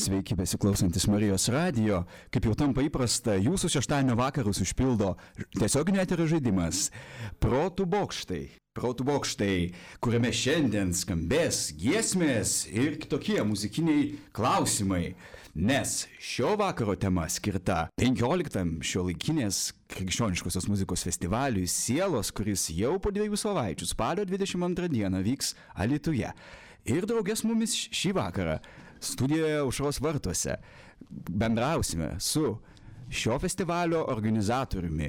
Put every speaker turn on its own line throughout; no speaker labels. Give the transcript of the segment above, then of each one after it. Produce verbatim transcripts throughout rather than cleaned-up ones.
Sveiki besiklausantis Marijos radijo. Kaip jau tampa įprasta, jūsų šeštadienio vakarus užpildo tiesioginio eterio žaidimas Protų bokštai. Protų bokštai, kuriame šiandien skambės giesmės ir kitokie muzikiniai klausimai. Nes šio vakaro tema skirta penkioliktam šiuolaikinės krikščioniškosios muzikos festivaliui Sielos, kuris jau po dviejų savaičių spalio dvidešimt antrą dieną vyks Alytuje. Ir draugės mumis šį vakarą studijoje Aušros vartuose bendrausime su šio festivalio organizatoriumi,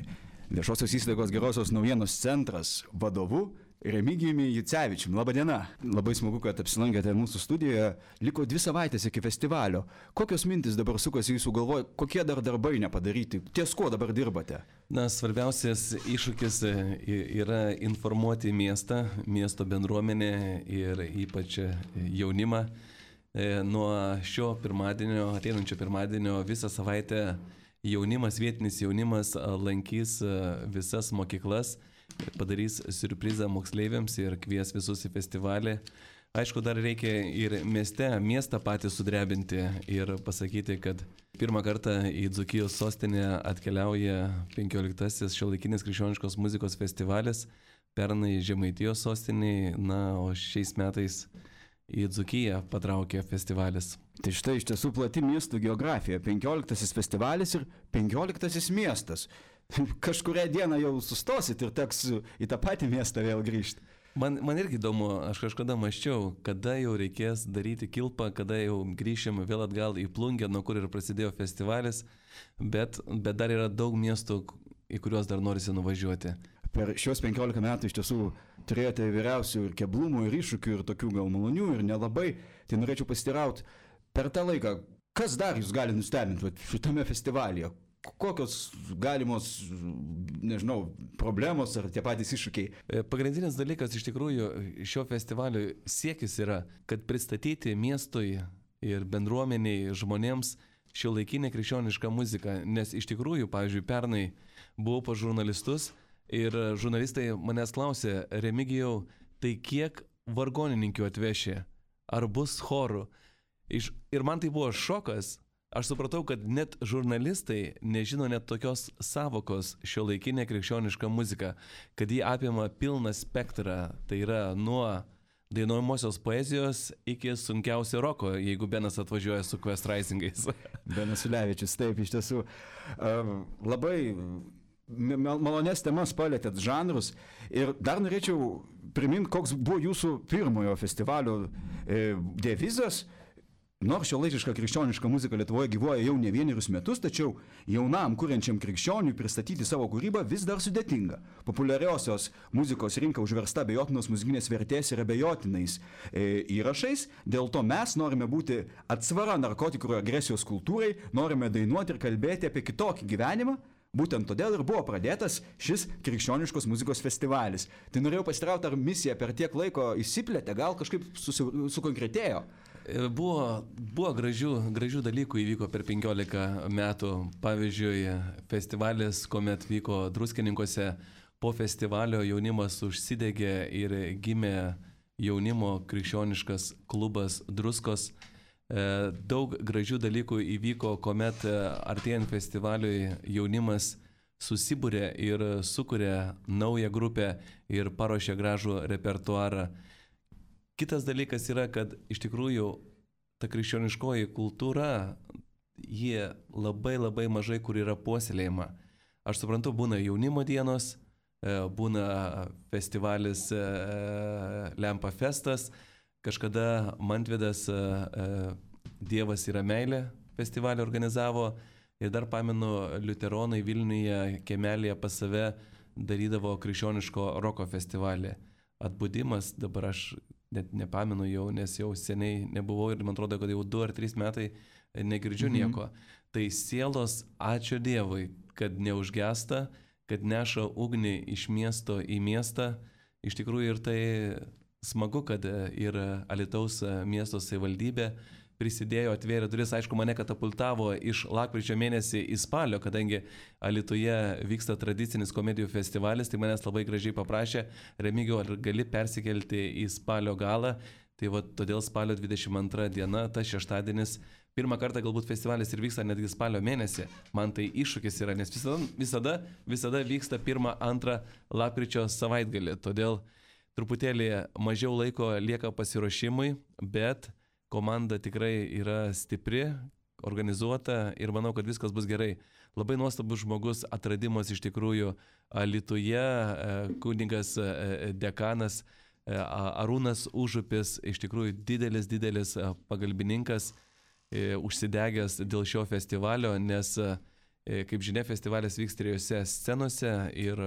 viešosios įstaigos Gerosios naujienos centras vadovu Remigijumi Jucevičiumi. Labą dieną. Labai smagu, kad apsilankėte mūsų studijoje. Liko dvi savaitės iki festivalio. Kokios mintis dabar sukasi jūsų galvoje? Kokie dar darbai nepadaryti? Ties kuo dabar dirbate?
Na, svarbiausias iššūkis yra informuoti miestą, miesto bendruomenę ir ypač jaunimą. Nuo šio pirmadienio, ateinančio pirmadienio visą savaitę jaunimas, vietinis jaunimas lankys visas mokyklas, padarys siurprizą moksleiviams ir kvies visus į festivalį. Aišku, dar reikia ir mieste, miestą patį sudrebinti ir pasakyti, kad pirmą kartą į Dzūkijos sostinę atkeliauja penkioliktasis šiuolaikinės krikščioniškos muzikos festivalis, pernai Žemaitijos sostinėje, na, o šiais metais į Dzūkiją patraukė festivalis.
Tai štai iš tiesų plati miestų geografija. penkioliktasis festivalis ir penkioliktasis miestas. Kažkurią dieną jau sustosit ir teks į tą patį miestą vėl grįžti.
Man, man irgi įdomu, aš kažkada maščiau, kada jau reikės daryti kilpą, kada jau grįšim vėl atgal į Plungę, nuo kur ir prasidėjo festivalis, bet, bet dar yra daug miestų, į kuriuos dar norisi nuvažiuoti.
Per šios penkiolika metų iš tiesų turėjote įvairiausių ir keblumų, ir iššūkių, ir tokių gal malonių, ir nelabai. Tai norėčiau pasiteirauti, per tą laiką, kas dar jūs gali nustebinti šitame festivalyje? Kokios galimos, nežinau, problemos ar tie patys iššūkiai?
Pagrindinis dalykas iš tikrųjų šio festivalio siekis yra, kad pristatyti miestui ir bendruomeniai žmonėms šiuolaikinę krikščionišką muziką. Nes iš tikrųjų, pavyzdžiui, pernai buvau pas žurnalistus ir žurnalistai manęs klausė: Remigijau, tai kiek vargonininkių atvešė? Ar bus chorų? Iš, ir man tai buvo šokas. Aš supratau, kad net žurnalistai nežino net tokios savokos šiuolaikinė krikščioniška muzika, kad jį apima pilną spektrą, tai yra nuo dainuojamosios poezijos iki sunkiausio roko, jeigu Benas atvažiuoja su Quest Risingais.
Benas Ulevičius, taip, iš tiesų labai malonės temas palėtėt, žanrus. Ir dar norėčiau priminti, koks buvo jūsų pirmojo festivalio devizas. Nors šiuolaikiška krikščioniška muzika Lietuvoje gyvuoja jau ne vienerius metus, tačiau jaunam kuriančiam krikščioniui pristatyti savo kūrybą vis dar sudėtinga. Populiariosios muzikos rinka užversta abejotinos muzikinės vertės ir abejotinais e, įrašais, dėl to mes norime būti atsvara narkotikų ir agresijos kultūrai, norime dainuoti ir kalbėti apie kitokį gyvenimą. Būtent todėl ir buvo pradėtas šis krikščioniškos muzikos festivalis. Tai norėjau pasiteirauti, ar misija per tiek laiko išsiplėtė, gal kažkaip susi, sukonkretėjo?
Buvo, buvo gražių, gražių dalykų įvyko per penkiolika metų. Pavyzdžiui, festivalis, kuomet vyko Druskininkuose, po festivalio jaunimas užsidegė ir gimė jaunimo krikščioniškas klubas Druskos. Daug gražių dalykų įvyko, kuomet artėjant festivaliui jaunimas susibūrė ir sukūrė naują grupę ir paruošė gražų repertuarą. Kitas dalykas yra, kad iš tikrųjų ta krikščioniškoji kultūra, jie labai labai mažai kur yra puoselėjama. Aš suprantu, būna jaunimo dienos, būna festivalis Lempa Festas, kažkada Mantvidas Dievas yra meilė festivalį organizavo ir dar pamenu, liuteronai Vilniuje kiemelėje pas save darydavo krikščioniško roko festivalį. Atbudimas, dabar aš net nepamenu jau, nes jau seniai nebuvau ir man atrodo, kad jau du ar trys metai negirdžiu mm-hmm. nieko. Tai sielos, ačiū Dievui, kad neužgesta, kad neša ugnį iš miesto į miestą. Iš tikrųjų ir tai smagu, kad ir Alytaus miesto savivaldybė prisidėjo, atvėrė duris, aišku, mane katapultavo iš lapkričio mėnesį į spalio, kadangi Alytuje vyksta tradicinis komedijų festivalis, tai manęs labai gražiai paprašė: Remigijau, ar gali persikelti į spalio galą? Tai va, todėl spalio dvidešimt antra diena, tas šeštadienis, pirmą kartą galbūt festivalis ir vyksta netgi spalio mėnesį. Man tai iššūkis yra, nes visada, visada, visada vyksta pirmą, antrą lapkričio savaitgalį. Todėl truputėlį mažiau laiko lieka pasiruošimui, bet komanda tikrai yra stipri, organizuota ir manau, kad viskas bus gerai. Labai nuostabus žmogus, atradimas iš tikrųjų Alytuje, kunigas dekanas Arūnas Užupis, iš tikrųjų didelis, didelis pagalbininkas, užsidegęs dėl šio festivalio, nes, kaip žinia, festivalis vyks trijose scenose ir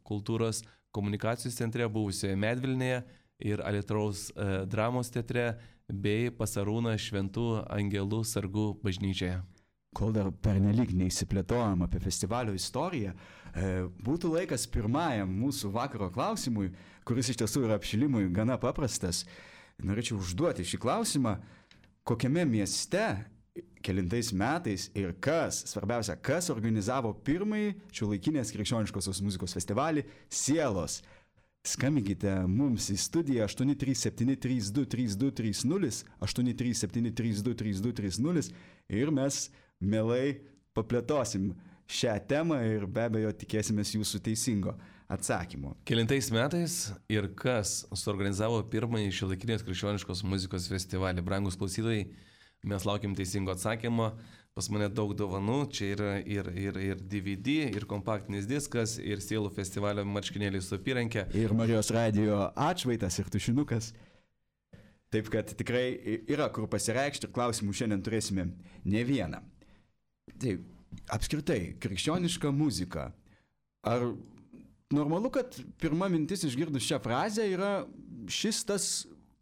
kultūros komunikacijos centre buvusioje Medvilnėje ir Alytaus dramos teatre bei pas Arūną Šventų Angelų sargų bažnyčioje.
Kol dar pernelyg neįsiplėtojam apie festivalio istoriją, būtų laikas pirmajam mūsų vakaro klausimui, kuris iš tiesų yra apšilimui gana paprastas. Norėčiau užduoti šį klausimą, kokiame mieste, kelintais metais ir kas, svarbiausia, kas organizavo pirmąjį šiuolaikinės krikščioniškosios muzikos festivalį Sielos. Skambinkite mums į studiją aštuoni trys septyni trys du trys du trys nulis, aštuoni trys septyni trys du trys du trys nulis ir mes mielai paplėtosim šią temą ir be abejo tikėsimės jūsų teisingo atsakymo.
Kelintais metais ir kas suorganizavo pirmąjį šiuolaikinės krikščioniškos muzikos festivalį? Brangus klausytojai, mes laukiam teisingo atsakymo. Pas mane daug dovanų, čia yra ir, ir, ir D V D, ir kompaktinis diskas, ir Sielų festivalio marškinėliai su apyrankė.
Ir Marijos radijo atšvaitas ir tušinukas. Taip kad tikrai yra kur pasireikšti ir klausimų šiandien turėsime ne vieną. Tai apskritai, krikščioniška muzika. Ar normalu, kad pirma mintis išgirdus šią frazę yra šis tas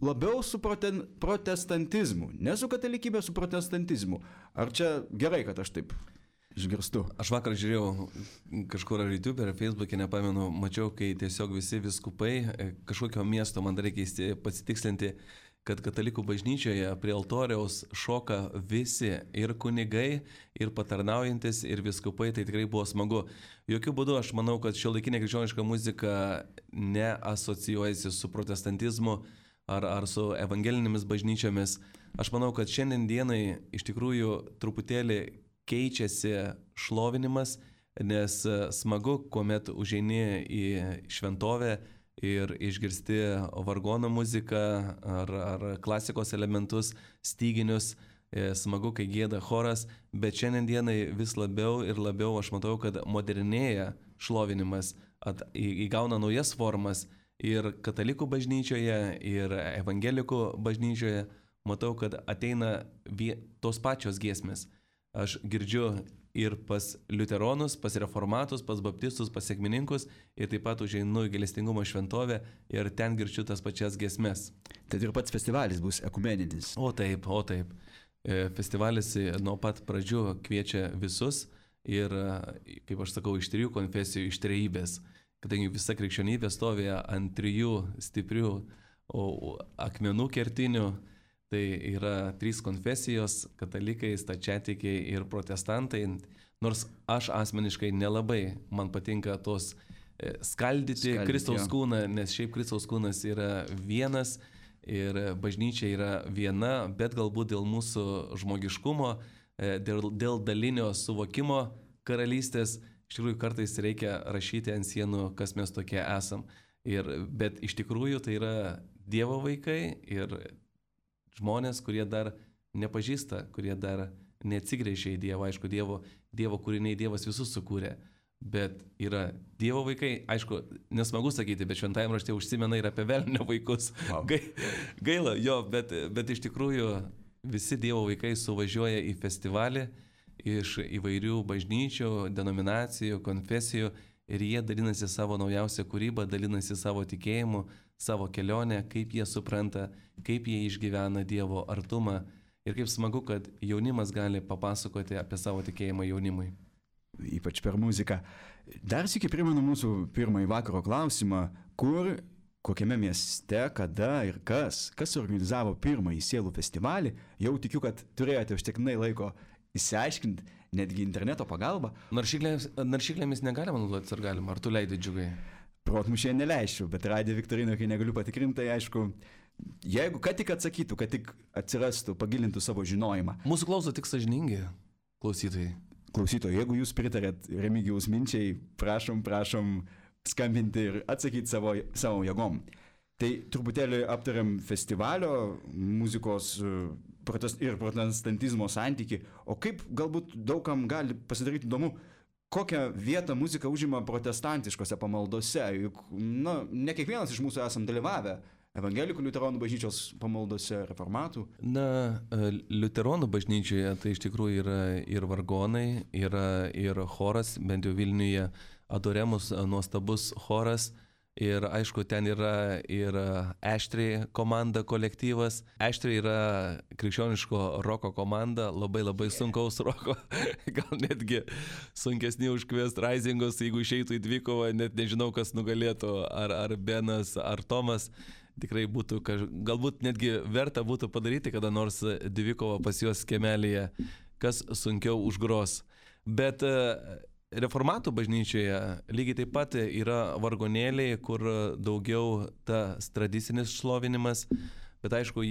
labiau su proten, protestantizmu, ne su katalikybė, su protestantizmu. Ar čia gerai, kad aš taip išgirstu?
Aš vakar žiūrėjau kažkur ar YouTube ar Facebook'e, nepamenu, mačiau, kai tiesiog visi viskupai kažkokio miesto, man dar reikia pasitikslinti, kad katalikų bažnyčioje prie altoriaus šoka visi, ir kunigai, ir patarnaujantis, ir viskupai, tai tikrai buvo smagu. Jokių būdų aš manau, kad šiuolaikinė krikščioniška muzika neasocijuojasi su protestantizmu ar, ar su evangelinėmis bažnyčiomis. Aš manau, kad šiandien dienai iš tikrųjų truputėlį keičiasi šlovinimas, nes smagu, kuomet užeini į šventovę ir išgirsti vargono muziką ar, ar klasikos elementus, styginius, smagu, kai gieda choras, bet šiandien dienai vis labiau ir labiau aš matau, kad modernėja šlovinimas, at, įgauna naujas formas ir katalikų bažnyčioje, ir evangelikų bažnyčioje, matau, kad ateina vie, tos pačios giesmės. Aš girdžiu ir pas liuteronus, pas reformatus, pas baptistus, pas sekmininkus ir taip pat užeinu į gailestingumo šventovę ir ten girdžiu tas pačias giesmes.
Tad ir pats festivalis bus ekumeninis.
O taip, o taip. Festivalis nuo pat pradžių kviečia visus ir, kaip aš sakau, iš trijų konfesijų, iš trejybės, kadangi visa krikščionybė stovi ant trijų stiprių akmenų kertinių. Tai yra trys konfesijos - katalikai, stačiatikiai ir protestantai. Nors aš asmeniškai nelabai man patinka tos skaldyti Skaldyti, Kristaus kūną, nes šiaip Kristaus kūnas yra vienas ir bažnyčia yra viena, bet galbūt dėl mūsų žmogiškumo, dėl, dėl dalinio suvokimo karalystės, iš tikrųjų kartais reikia rašyti ant sienų, kas mes tokie esam. Ir, bet iš tikrųjų tai yra Dievo vaikai ir žmonės, kurie dar nepažįsta, kurie dar neatsigręžia į Dievą. Aišku, Dievo, dievo kūriniai Dievas visus sukūrė, bet yra Dievo vaikai. Aišku, nesmagu sakyti, bet šventajame rašte užsimena ir apie velnio vaikus. Wow. Gaila, jo, bet, bet iš tikrųjų visi Dievo vaikai suvažiuoja į festivalį iš įvairių bažnyčių, denominacijų, konfesijų ir jie dalinasi savo naujausią kūrybą, dalinasi savo tikėjimu, savo kelionę, kaip jie supranta, kaip jie išgyvena Dievo artumą ir kaip smagu, kad jaunimas gali papasakoti apie savo tikėjimą jaunimui.
Ypač per muziką. Dar sykį primenu mūsų pirmąjį vakaro klausimą, kur, kokiame mieste, kada ir kas, kas organizavo pirmąjį Sielų festivalį. Jau tikiu, kad turėjote užtektinai laiko įsiaiškinti, netgi interneto pagalba.
Naršyklėmis, naršyklėmis negalima naudoti, ar galima? Ar tu leidai, Džiugai?
Protmušė neleisčiau, bet radijo viktorino, kai negaliu patikrinti, tai aišku, Jeigu ką tik atsakytų, kad tik atsirastų, pagilintų savo žinojimą.
Mūsų klauso tik sąžiningi klausytojai.
Klausytojai, jeigu jūs pritarėt Remigijaus minčiai, prašom, prašom skambinti ir atsakyti savo, savo jėgom. Tai truputėlį aptariam festivalio muzikos protest, ir protestantizmo santyki, o kaip galbūt daugam gali pasidaryti įdomu, kokią vietą muzika užima protestantiškose pamaldose, juk na, ne kiekvienas iš mūsų esam dalyvavę evangelikų liuteronų bažnyčios pamaldose, reformatų.
Na, liuteronų bažnyčioje tai iš tikrųjų yra ir vargonai, yra ir choras, bent jau Vilniuje Adoremus nuostabus choras. Ir aišku, ten yra ir Aštri komanda, kolektyvas. Aštri yra krikščioniško roko komanda, labai labai sunkaus roko, gal netgi sunkesni už Quest Risingus, jeigu išeitų į dvikovą, net nežinau, kas nugalėtų, ar, ar Benas, ar Tomas. Tikrai būtų, galbūt netgi verta būtų padaryti kada nors dvikovą pas juos kiemelėje, kas sunkiau užgros. Bet reformatų bažnyčioje lygiai taip pat yra vargonėliai, kur daugiau tas tradicinis šlovinimas, bet aišku,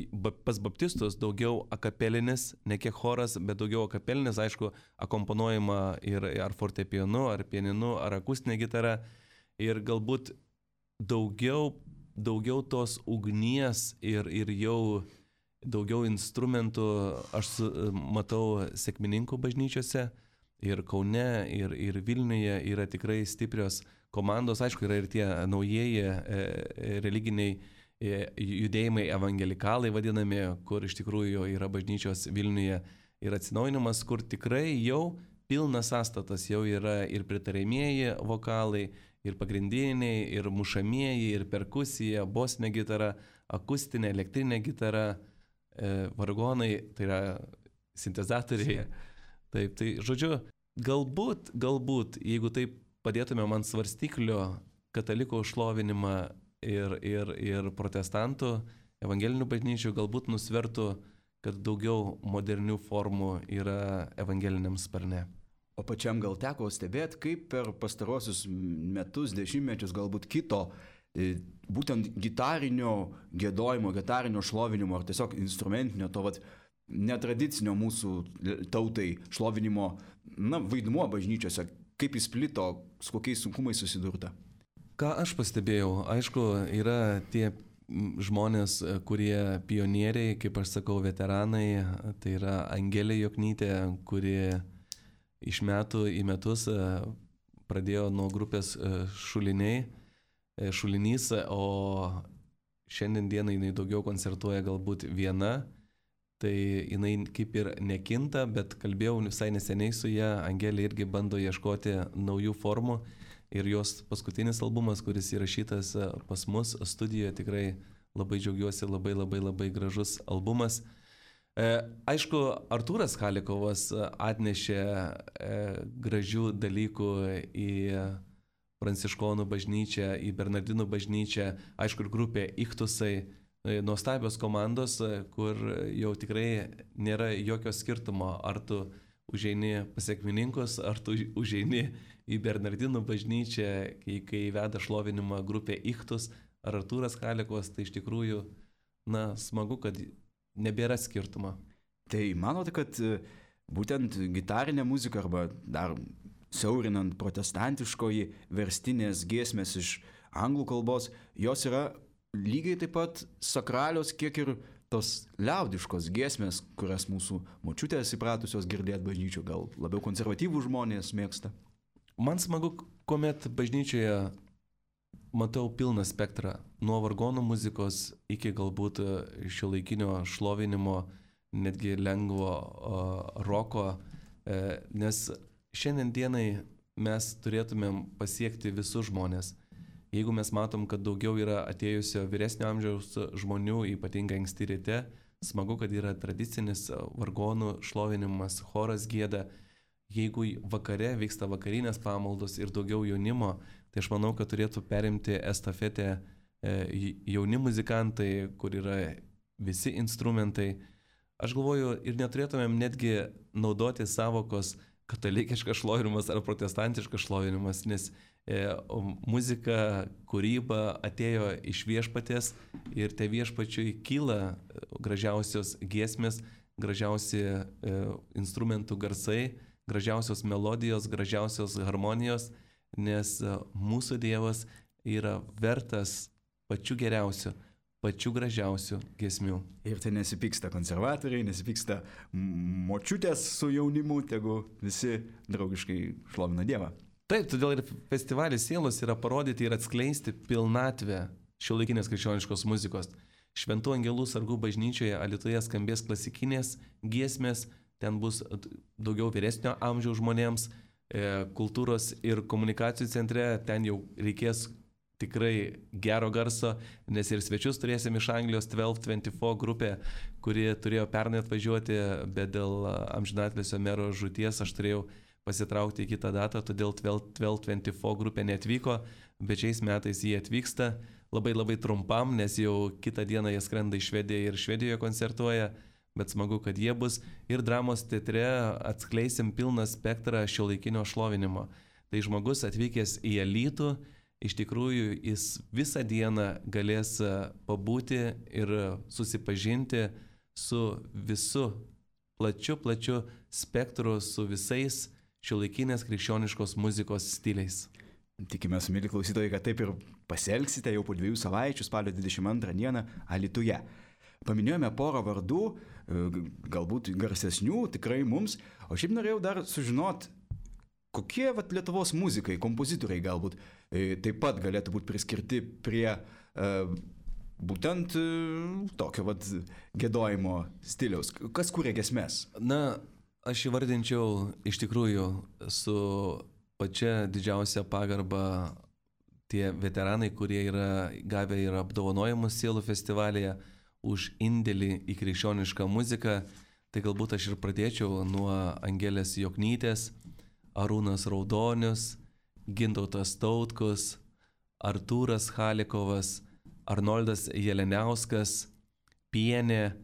pas baptistus daugiau akapelinis, ne kiek choras, bet daugiau akapelinis, aišku, akomponuojama ir ar fortepijonu, ar pianinu, ar akustinė gitara ir galbūt daugiau, daugiau tos ugnies ir, ir jau daugiau instrumentų aš matau sekmininkų bažnyčiose. Ir Kaune, ir, ir Vilniuje yra tikrai stiprios komandos. Aišku, yra ir tie naujieji e, religiniai e, judėjimai, evangelikalai vadinami, kur iš tikrųjų yra bažnyčios Vilniuje ir atsinaujinimas, kur tikrai jau pilnas sąstatas, jau yra ir pritarėmieji vokalai, ir pagrindiniai, ir mušamieji, ir perkusija, bosinė gitara, akustinė, elektrinė gitara, e, vargonai, tai yra sintezatoriai. Taip, tai žodžiu, galbūt, galbūt, jeigu taip padėtume man svarstyklio katalikų šlovinimą ir, ir, ir protestantų, evangelinių bažnyčių, galbūt nusvertų, kad daugiau modernių formų yra evangeliniam sparne.
O pačiam gal teko stebėti, kaip per pastarosius metus, dešimtmečius galbūt kito, būtent gitarinio giedojimo, gitarinio šlovinimo ar tiesiog instrumentinio to vat netradicinio mūsų tautai šlovinimo na, vaidmuo bažnyčiose, kaip jis plito, su kokiais sunkumais susidurta?
Ką aš pastebėjau, aišku, yra tie žmonės, kurie pionieriai, kaip aš sakau, veteranai, tai yra Angelė Joknytė, kuri iš metų į metus pradėjo nuo grupės Šuliniai, Šulinys, o šiandien dieną jinai daugiau koncertuoja galbūt viena. Tai jinai kaip ir nekinta, bet kalbėjau visai neseniai su ją, Angelė irgi bando ieškoti naujų formų ir jos paskutinis albumas, kuris įrašytas pas mus studijoje, tikrai labai džiaugiuosi, labai labai labai gražus albumas. E, aišku, Artūras Chalikovas atnešė e, gražių dalykų į Pranciškonų bažnyčią, į Bernardinų bažnyčią, aišku, ir grupė Ichtusai. Nuostabios komandos, kur jau tikrai nėra jokio skirtumo, ar tu užeini pas sekmininkus, ar tu užeini į Bernardinų bažnyčią, kai, kai veda šlovinimą grupė Ichtus, ar Artūras Chalikovas, tai iš tikrųjų, na, smagu, kad nebėra skirtumo.
Tai manote, kad būtent gitarinė muzika arba dar siaurinant protestantiškoji verstinės giesmės iš anglų kalbos, jos yra lygiai taip pat sakralios, kiek ir tos liaudiškos giesmės, kurias mūsų močiutės įpratusios girdėti bažnyčių, gal labiau konservatyvų žmonės mėgsta.
Man smagu, kuomet bažnyčioje matau pilną spektrą, nuo vargonų muzikos iki galbūt šiuolaikinio šlovinimo, netgi lengvo uh, roko, uh, nes šiandien dienai mes turėtumėm pasiekti visus žmonės. Jeigu mes matom, kad daugiau yra atėjusio vyresnio amžiaus žmonių, ypatingai anksti ryte, smagu, kad yra tradicinis vargonų šlovinimas, choras gieda. Jeigu vakare vyksta vakarinės pamaldos ir daugiau jaunimo, tai aš manau, kad turėtų perimti estafetę jauni muzikantai, kur yra visi instrumentai. Aš galvoju, ir neturėtumėm netgi naudoti savokos, katalikiškas šlovinimas ar protestantiškas šlovinimas, nes e, muzika, kūryba atėjo iš viešpaties ir te viešpačiui kyla gražiausios giesmės, gražiausi e, instrumentų garsai, gražiausios melodijos, gražiausios harmonijos, nes e, mūsų Dievas yra vertas pačių geriausių, pačių gražiausių giesmių.
Ir tai nesipyksta konservatoriai, nesipyksta močiutės su jaunimu, tegu visi draugiškai šlovina Dievą.
Taip, todėl ir festivalis Sielos yra parodyti ir atskleisti pilnatvę šiuolaikinės krikščioniškos muzikos. Šventų angelų sargų bažnyčioje Alytuje skambės klasikinės giesmės, ten bus daugiau vyresnio amžiaus žmonėms, kultūros ir komunikacijų centre, ten jau reikės tikrai gero garso, nes ir svečius turėsim iš Anglijos dvylika dvidešimt keturi grupė, kuri turėjo pernai atvažiuoti, bet dėl amžinatilsio mero žūties aš turėjau pasitraukti į kitą datą, todėl dvylika dvidešimt keturi grupė neatvyko, bet šiais metais jie atvyksta labai labai trumpam, nes jau kitą dieną jie skrenda į Švediją ir Švedijoje koncertuoja, bet smagu, kad jie bus. Ir dramos teatre atskleisim pilną spektrą šiuolaikinio šlovinimo. Tai žmogus atvykęs į Alytų, iš tikrųjų jis visą dieną galės pabūti ir susipažinti su visu plačiu, plačiu spektru, su visais šiuolaikinės krikščioniškos muzikos stiliais.
Tikimės, mėly klausytojai, kad taip ir pasielgsite jau po dviejų savaičių, spalio dvidešimt antrą dieną Alytuje. Paminėjome porą vardų, galbūt garsesnių, tikrai mums, o šiaip norėjau dar sužinoti, kokie vat, Lietuvos muzikai, kompozitoriai galbūt e, taip pat galėtų būti priskirti prie e, būtent e, tokio vat, giedojimo stiliaus. Kas kūrė giesmes?
Na, aš įvardinčiau iš tikrųjų su pačia didžiausia pagarba tie veteranai, kurie yra gavę ir apdovanojimus Sielų festivalyje už indėlį į krikščionišką muziką. Tai galbūt aš ir pradėčiau nuo Angelės Joknytės, Arūnas Raudonius, Gintautas Tautkus, Artūras Halikovas, Arnoldas Jeleniauskas, Pienė.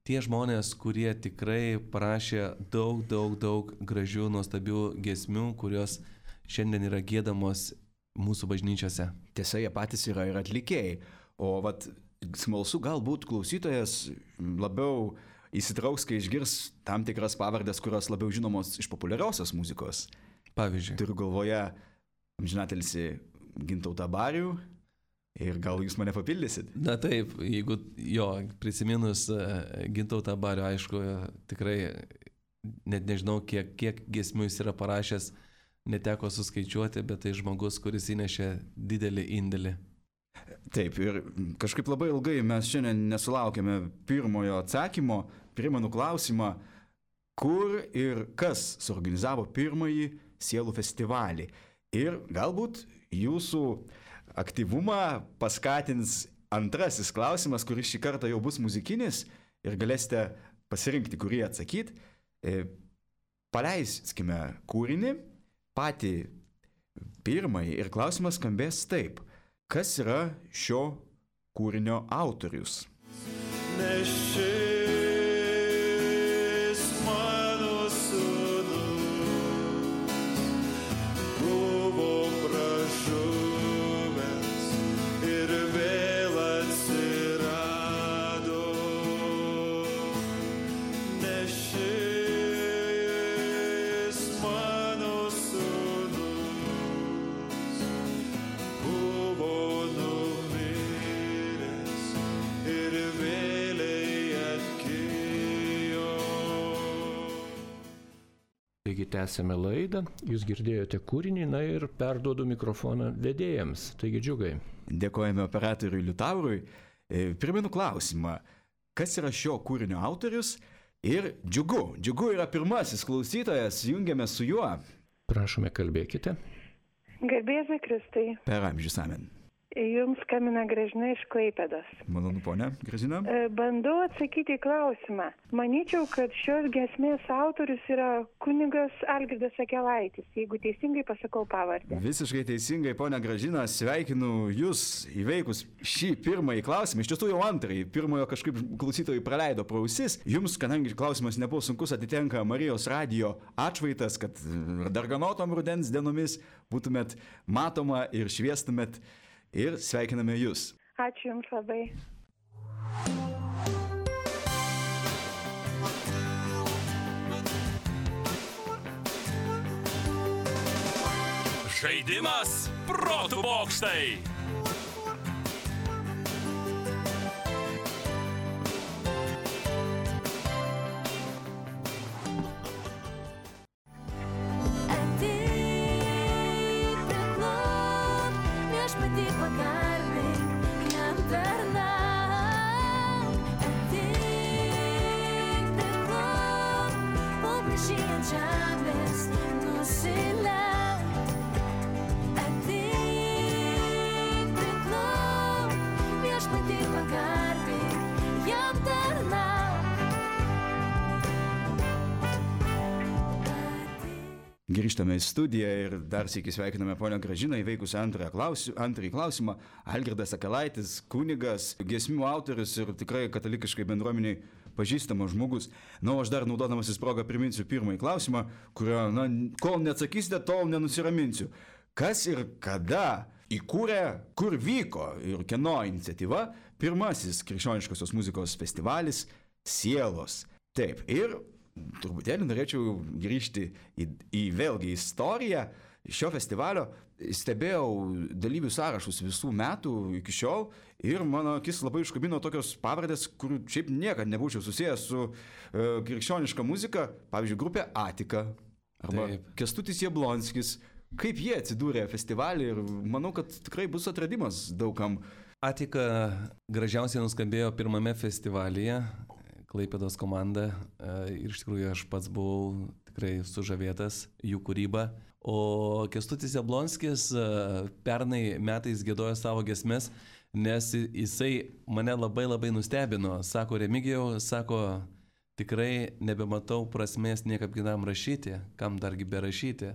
Tie žmonės, kurie tikrai parašė daug, daug, daug gražių, nuostabių giesmių, kurios šiandien yra giedamos mūsų bažnyčiose.
Tiesa, jie patys yra ir atlikėjai. O vat, smalsu, galbūt klausytojas labiau įsitrauks, kai išgirs tam tikras pavardės, kurios labiau žinomos iš populiariosios muzikos.
Pavyzdžiui.
Turiu galvoje amžinatilsį Gintautą Barių ir gal jūs mane papildysit?
Na taip, jeigu jo, prisiminus Gintautą Barių, aišku, tikrai net nežinau, kiek, kiek giesmių jis yra parašęs, neteko suskaičiuoti, bet tai žmogus, kuris įnešė didelį indėlį.
Taip, ir kažkaip labai ilgai mes šiandien nesulaukėme pirmojo atsakymo. Primenu klausimą, kur ir kas suorganizavo pirmąjį Sielų festivalį. Ir galbūt jūsų aktyvumą paskatins antrasis klausimas, kuris šį kartą jau bus muzikinis ir galėsite pasirinkti, kurį atsakyti. Paleiskime kūrinį, patį pirmąjį, ir klausimas skambės taip. Kas yra šio kūrinio autorius?
Nešis mano sūnus buvo pražuvęs ir vėl atsirado. Nešis mano sūnus buvo numiręs ir vėliai atgijo.
Taigi tęsėme laidą, jūs girdėjote kūrinį, na ir perduodu mikrofoną vedėjams. Taigi Džiugai.
Dėkojame operatoriui Liutaurui. Primenu klausimą, kas yra šio kūrinio autorius? Ir Džiugu. Džiugu yra pirmasis klausytojas, jungiame su juo.
Prašome, kalbėkite.
Garbėsiu Kristai.
Per amžius amen.
Jums skambina Gražina iš Klaipėdos.
Malonu, ponia Gražina.
E, Bandau atsakyti į klausimą. Manyčiau, kad šios giesmės autorius yra kunigas Algirdas Akelaitis, jeigu teisingai pasakau pavardę.
Visiškai teisingai, ponia Gražina, sveikinu Jūs įveikus šį pirmąjį klausimą. Iš tiesų jau antrąjį. Pirmojo kažkaip klausytojai praleido pro ausis. Jums, kadangi klausimas nebuvo sunkus, atitenka Marijos radijo atšvaitas, kad darganotom rudens dienomis būtumėt matoma ir šviestumėt. Ir sveikiname Jūs.
Ačiū Jums labai.
Žaidimas protų bokštai.
Grįžtame į studiją ir dar sykį sveikiname ponę Gražiną įveikus antrąjį klausimą. Algirdas Akelaitis, kunigas, giesmių autorius ir tikrai katalikiškai bendruomeniai pažįstamas žmogus. Na, aš dar naudodamasis progą priminsiu pirmąjį klausimą, kurio, na, kol neatsakysite, tol nenusiraminsiu. Kas ir kada įkūrė, kur vyko ir kieno iniciatyva pirmasis krikščioniškosios muzikos festivalis Sielos? Taip, ir truputėlį norėčiau grįžti į, į vėlgi istoriją šio festivalio. Stebėjau dalyvių sąrašus visų metų iki šiol ir mano akis labai iškabino tokios pavardės, kurių šiaip niekad nebūčiau susijęs su e, krikščioniška muzika. Pavyzdžiui, grupė Atika arba Taip. Kęstutis Jablonskis. Kaip jie atsidūrė festivalį ir manau, kad tikrai bus atradimas daugam.
Atika gražiausiai nuskambėjo pirmame festivalyje. Klaipėdos komanda ir iš tikrųjų aš pats buvau tikrai sužavėtas jų kūryba. O Kęstutis Jablonskis pernai metais giedojo savo giesmes, nes jisai mane labai labai nustebino. Sako, Remigijau, sako, tikrai nebematau prasmės niekam kitam rašyti, kam dargi berašyti.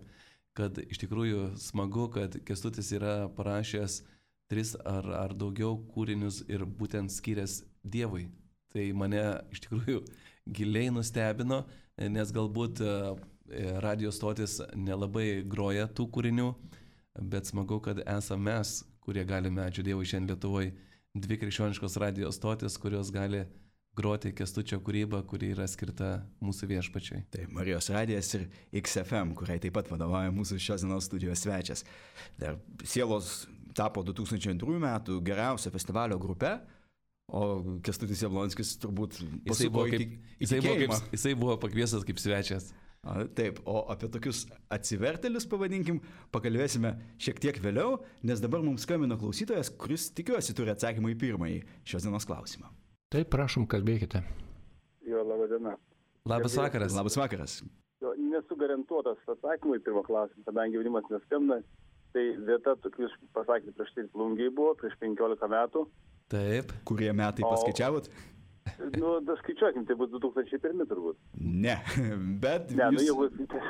Kad iš tikrųjų smagu, kad Kęstutis yra parašęs tris ar, ar daugiau kūrinius ir būtent skyręs Dievui. Tai mane iš tikrųjų giliai nustebino, nes galbūt radio stotis nelabai groja tų kūrinių, bet smagu, kad esame mes, kurie galime, ačiū Dievui, šiandien Lietuvoje, dvi krikščioniškos radio stotis, kurios gali groti Kęstučio kūrybą, kuri yra skirta mūsų viešpačiui.
Tai Marijos radijas ir X F M, kuriai taip pat vadovauja mūsų šios dienos studijos svečias. Dar Sielos tapo du tūkstančiai antrųjų metų geriausia festivalio grupe. O Kęstutis Jablonskis turbūt
jisai buvo, kaip, jisai, buvo kaip, jisai buvo pakviestas kaip svečias.
A, taip, o apie tokius atsivertėlius, pavadinkim, pakalbėsime šiek tiek vėliau, nes dabar mums skambino klausytojas, kuris tikiuosi turi atsakymą į pirmąjį šios dienos klausimą.
Taip, prašom, kalbėkite.
Jo, laba diena.
Labas vakaras.
Labas vakaras.
Jo, nesu garantuotas atsakymą į pirmą klausimą, kadangi jaunimas neskambina. Tai vieta, kaip jūs pasakėte, prieš tai Plungiai buvo, prieš penkiolika metų.
Taip.
Kurie metai paskaičiavot?
O, nu, da skaičiuokim, tai bus du tūkstančiai pirmi turbūt.
Ne, bet...
Ne,
jūs...
nu jeigu...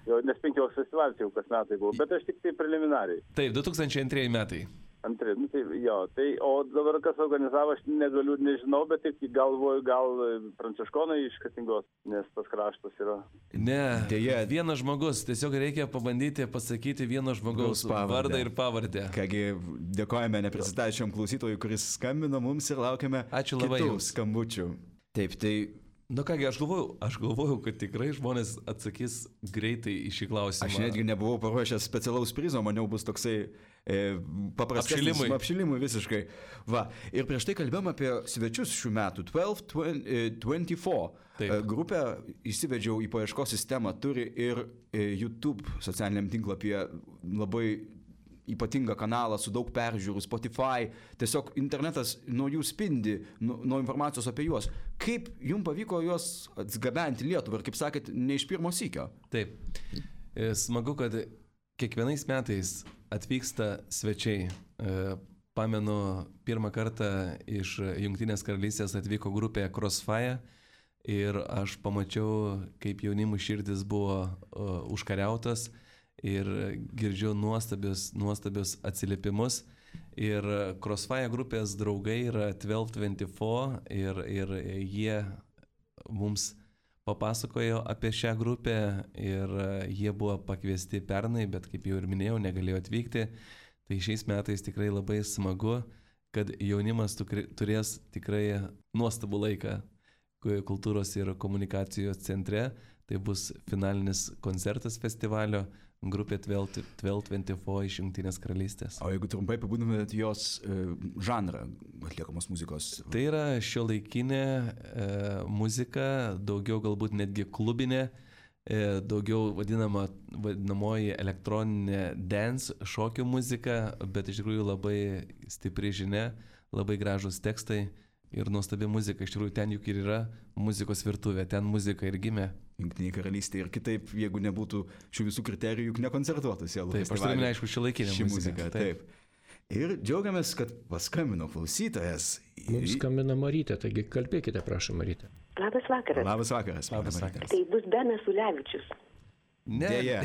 Jo, nes penkios festivalis jau kas metai buvo, bet aš tik tai preliminariai.
Taip, du tūkstančiai antrieji metai.
Antri, nu tai jo, tai, o dabar kas organizavo, aš negaliu, nežinau, bet taip galvoju, gal pranciškonai iš Kretingos, nes tas kraštas yra.
Ne, Deja. vienas žmogus, tiesiog reikia pabandyti pasakyti vieno žmogaus vardą ir pavardę.
Kągi, dėkojame neprisistačiam klausytojui, kuris skambino mums ir laukiame
Ačiū labai
kitų skambučių. Taip, tai...
Nu kągi, aš galvojau, aš galvojau, kad tikrai žmonės atsakys greitai į šį klausimą.
Aš netgi nebuvau paruošęs specialaus prizo, maniau bus toksai e, paprastas
apšilimui.
apšilimui visiškai. Va, ir prieš tai kalbėjom apie svečius šių metų. dvanašt dvidešimt keturi grupę įsivedžiau į paieškos sistemą, turi ir YouTube socialiniam tinklapyje labai ypatingą kanalą su daug peržiūrų, Spotify, tiesiog internetas nuo jų spindi, nuo, nuo informacijos apie juos. Kaip jums pavyko juos atgabenti Lietuvą ir, kaip sakėt, ne iš pirmo sykio?
Taip. Smagu, kad kiekvienais metais atvyksta svečiai. pamenu, pirmą kartą iš Jungtinės karalystės atvyko grupė Crossfire ir aš pamačiau, kaip jaunimų širdis buvo uh, užkariautas ir girdžiu nuostabius, nuostabius atsiliepimus. Ir Crossfire grupės draugai yra dvylika dvidešimt keturi ir, ir jie mums papasakojo apie šią grupę ir jie buvo pakviesti pernai, bet kaip jau ir minėjau, negalėjo atvykti. Tai šiais metais tikrai labai smagu, kad jaunimas turės tikrai nuostabų laiką kultūros ir komunikacijos centre. Tai bus finalinis koncertas festivalio, grupė dvylika dvidešimt keturi iš Jungtinės karalystės.
O jeigu trumpai apibūdintumėt jos e, žanrą atliekamos muzikos?
Tai yra šiuolaikinė e, muzika, daugiau galbūt netgi klubinė, e, daugiau vadinama, vadinamoji elektroninė dance, šokių muzika, bet iš tikrųjų labai stipri žinia, labai gražus tekstai ir nuostabi muzika. Iš tikrųjų ten juk ir yra muzikos virtuvė, ten muzika ir gimė.
Jungtinėje karalystėje ir kitaip, jeigu nebūtų šių visų kriterijų, juk nekoncertuotų sielų.
Taip, aš turiu, aišku, šiuolaikinę
ši
muziką.
muzika. Taip. taip. Ir džiaugiamės, kad paskambino klausytojas.
Mums skambina Marytė, taigi kalbėkite, prašom, Marytė.
Labas vakaras.
Labas vakaras.
Labas vakaras.
Tai bus Benas Ulevičius.
Ne.
Dėja,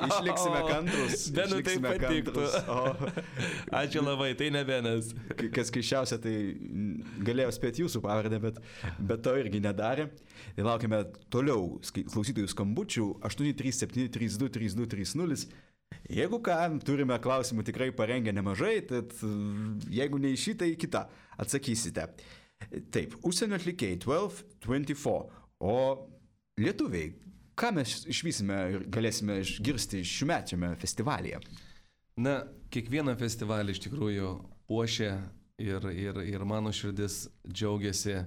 išliksime kantrus.
Benui tai
išliksime
patiktų.
O,
Ačiū labai, tai ne Benas.
kas keiščiausia, tai galėjau spėti jūsų pavardę, bet, bet to irgi nedarė. Tai laukime toliau klausytojų skambučių aštuoni trys septyni trys du trys du trys nulis. Jeigu ką, turime klausimų tikrai parengę nemažai, tad jeigu ne į šitą, į kitą atsakysite. Taip, užsienio atlikėjai dvylika dvidešimt keturi, o lietuviai, ką mes išvysime ir galėsime išgirsti šiųmečiame festivalyje?
Na, kiekvieną festivalį iš tikrųjų puošia ir, ir, ir mano širdis džiaugiasi,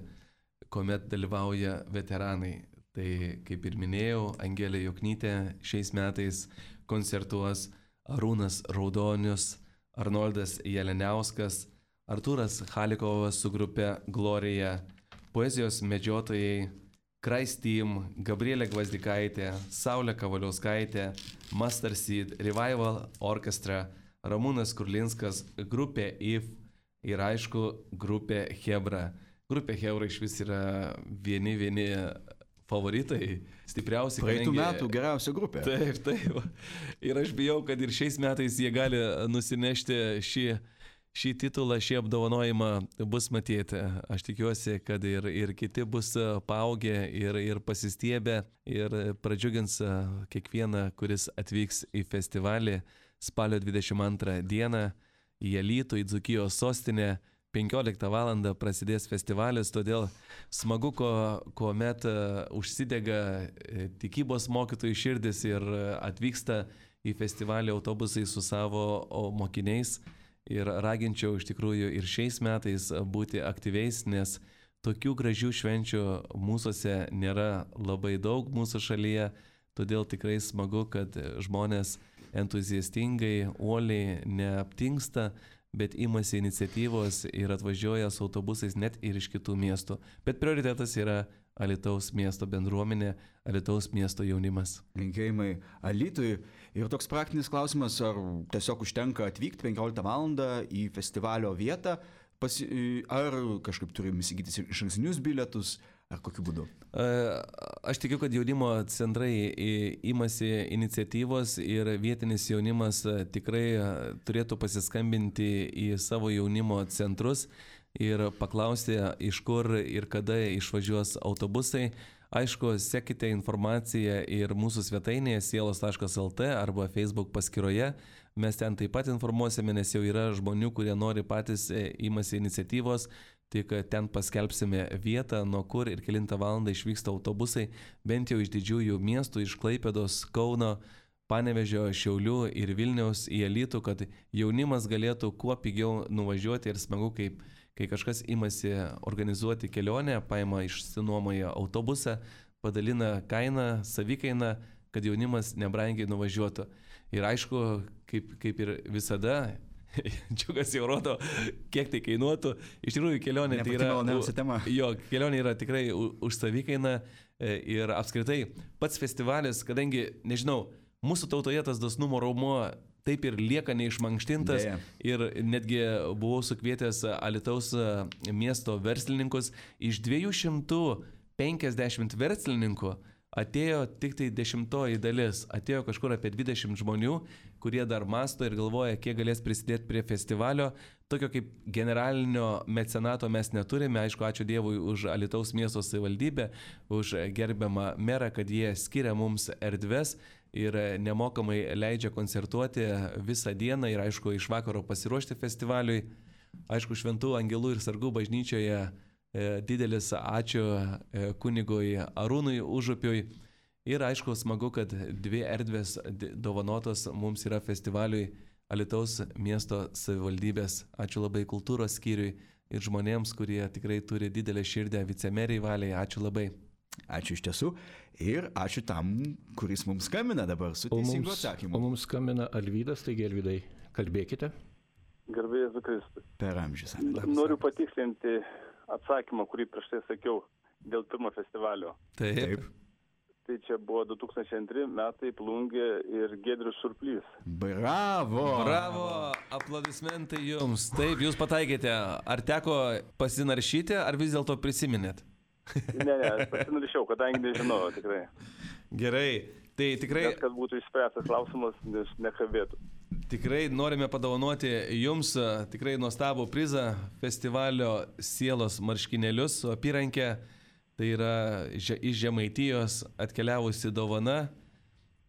kuomet dalyvauja veteranai. Tai, kaip ir minėjau, Angelė Joknytė šiais metais koncertuos, Arūnas Raudonius, Arnoldas Jeleniauskas, Artūras Halikovas su grupe Glorija, poezijos medžiotojai, Christ Team, Gabrielė Gvazdikaitė, Saulė Kavaliauskaitė, Master Seed, Revival Orchestra, Ramūnas Kurlinskas, grupė I F ir aišku grupė Hebra. Grupė Hebra iš vis yra vieni vieni favoritai, stipriausi.
Praeitų
kadangi...
metų geriausia grupė.
Taip, taip. Ir aš bijau, kad ir šiais metais jie gali nusinešti šį Šį titulą, šį apdovanojimą bus matyti. Aš tikiuosi, kad ir, ir kiti bus paaugę ir, ir pasistiebę ir pradžiugins kiekvieną, kuris atvyks į festivalį spalio dvidešimt antrą dieną į Alytų, į Dzūkijos sostinę. penkioliktą valandą prasidės festivalis, todėl smagu, ko, kuomet užsidega tikybos mokytojų širdis ir atvyksta į festivalį autobusai su savo mokiniais. Ir raginčiau iš tikrųjų ir šiais metais būti aktyviais, nes tokių gražių švenčių mūsųse nėra labai daug mūsų šalyje, todėl tikrai smagu, kad žmonės entuziastingai, uoliai neaptingsta, bet imasi iniciatyvos ir atvažiuoja su autobusais net ir iš kitų miestų. Bet prioritetas yra Alytaus miesto bendruomenė, Alytaus miesto jaunimas.
Linkėjimai Alytui. Ir toks praktinis klausimas, ar tiesiog užtenka atvykti penkioliktą valandą į festivalio vietą, pasi, ar kažkaip turim įsigyti išankstinius bilietus, ar kokiu būdu?
Aš tikiu, kad jaunimo centrai imasi iniciatyvos ir vietinis jaunimas tikrai turėtų pasiskambinti į savo jaunimo centrus ir paklausti, iš kur ir kada išvažiuos autobusai. Aišku, sekite informaciją ir mūsų svetainėje sielos taškas el tė arba Facebook paskyroje. Mes ten taip pat informuosime, nes jau yra žmonių, kurie nori patys imasi iniciatyvos. Tik ten paskelbsime vietą, nuo kur ir kelintą valandą išvyksta autobusai, bent jau iš didžiųjų miestų, iš Klaipėdos, Kauno, Panevėžio, Šiaulių ir Vilniaus į Alytų, kad jaunimas galėtų kuo pigiau nuvažiuoti ir smagu, kaip kai kažkas imasi organizuoti kelionę, paima išsinuomoja autobusą, padalina kainą, savikainą, kad jaunimas nebrangiai nuvažiuotų. Ir aišku, kaip, kaip ir visada, Džiugas jau rodo, kiek tai kainuotų. Iš tikrųjų, kelionė tai yra, jo, kelionė yra tikrai už savikainą ir apskritai pats festivalis, kadangi, nežinau, mūsų tautoje tas dosnumo raumuo taip ir lieka neišmankštintas.
Deja.
Ir netgi buvau sukvietęs Alytaus miesto verslininkus. Iš dviejų šimtų penkiasdešimt verslininkų atėjo tik tai dešimtoji dalis. Atėjo kažkur apie dvidešimt žmonių, kurie dar masto ir galvoja, kiek galės prisidėti prie festivalio. Tokio kaip generalinio mecenato mes neturime. Aišku, ačiū Dievui už Alytaus miesto savivaldybę, už gerbiamą merą, kad jie skiria mums erdves ir nemokamai leidžia koncertuoti visą dieną ir, aišku, iš vakaro pasiruošti festivaliui. Aišku, Šventų Angelų ir Sargų bažnyčioje didelis ačiū kunigui Arūnui Užupiui. Ir aišku, smagu, kad dvi erdvės dovanotos mums yra festivaliui Alytaus miesto savivaldybės. Ačiū labai kultūros skyriui ir žmonėms, kurie tikrai turi didelę širdę, vicemeriai Valiai. Ačiū labai.
Ačiū iš tiesų ir ačiū tam, kuris mums skambina dabar su teisingu atsakymu.
O mums skambina Alvydas, taigi Alvydai, kalbėkite.
Garbė Jėzui Kristui.
Per amžius.
Noriu patikslinti atsakymą, kurį prieš tai sakiau dėl pirmo festivalio.
Taip. Taip.
Tai čia buvo du tūkstančiai antri metai, Plungė ir Giedrius Surplys.
Bravo!
Bravo! Aplodismentai jums. Taip, jūs pataikėte. Ar teko pasinaršyti, ar vis dėlto prisiminėt?
Ne, ne, aš pasinaršiau, kadangi nežinojau tikrai.
Gerai. Tai tikrai...
Net, kad būtų išspręstas klausimas, nes nekabėtų.
Tikrai norime padovanoti jums tikrai nuostabų prizą festivalio Sielos marškinėlius su apyrankė. Tai yra iš Žemaitijos atkeliavusi dovana.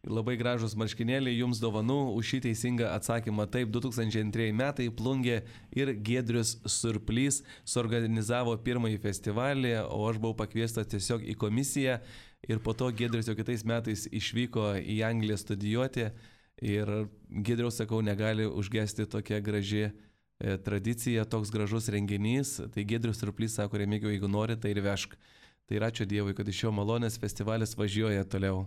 Labai gražus marškinėliai jums dovanų už šį teisingą atsakymą. Taip, du tūkstančiai antrieji metai Plungė ir Giedrius Surplys suorganizavo pirmąjį festivalį, o aš buvau pakviestas tiesiog į komisiją. Ir po to Giedrius jau kitais metais išvyko į Angliją studijuoti. Ir Giedriaus, sakau, negali užgesti tokia graži e, tradicija, toks gražus renginys. Tai Giedrius Surplys sako, Remigiau, jeigu nori, tai ir vežk. Tai ir ačiū Dievui, kad iš jo malonės festivalis važiuoja toliau.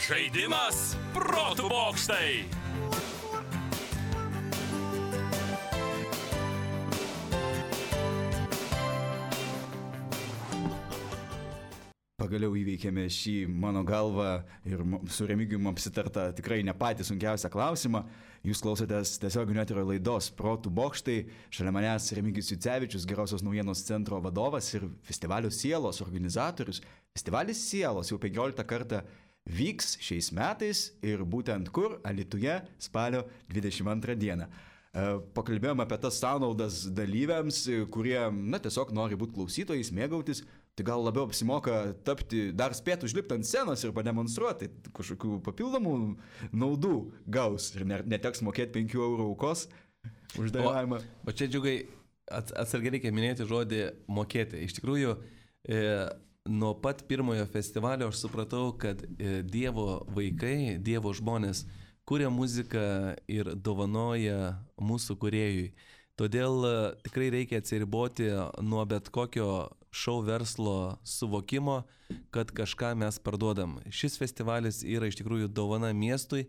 Žaidimas protų bokštai.
Pagaliau įveikėme šį, mano galva, ir su Remigijum apsitarta tikrai ne patį sunkiausią klausimą. Jūs klausotės tiesioginio eterio laidos Protų bokštai. Šalia manęs Remigijus Jucevičius, Gerosios naujienos centro vadovas ir festivalio Sielos organizatorius. Festivalis Sielos jau penkioliktą kartą vyks šiais metais ir būtent kur? Alytuje spalio dvidešimt antrą dieną. Pakalbėjome apie tas sąnaudas dalyviams, kurie, na, tiesiog nori būti klausytojais, mėgautis. Tai gal labiau apsimoka tapti, dar spėti užlipti ant scenos ir pademonstruoti, kažkokių papildomų naudų gaus ir neteks mokėti penkių eurų aukos už dalyvavimą.
O, o čia džiugai atsargiai reikia minėti žodį mokėti. Iš tikrųjų, e, nuo pat pirmojo festivalio aš supratau, kad e, Dievo vaikai, Dievo žmonės kuria muziką ir dovanoja mūsų kūrėjui. Todėl tikrai reikia atsiriboti nuo bet kokio šou verslo suvokimo, kad kažką mes parduodam. Šis festivalis yra iš tikrųjų dovana miestui,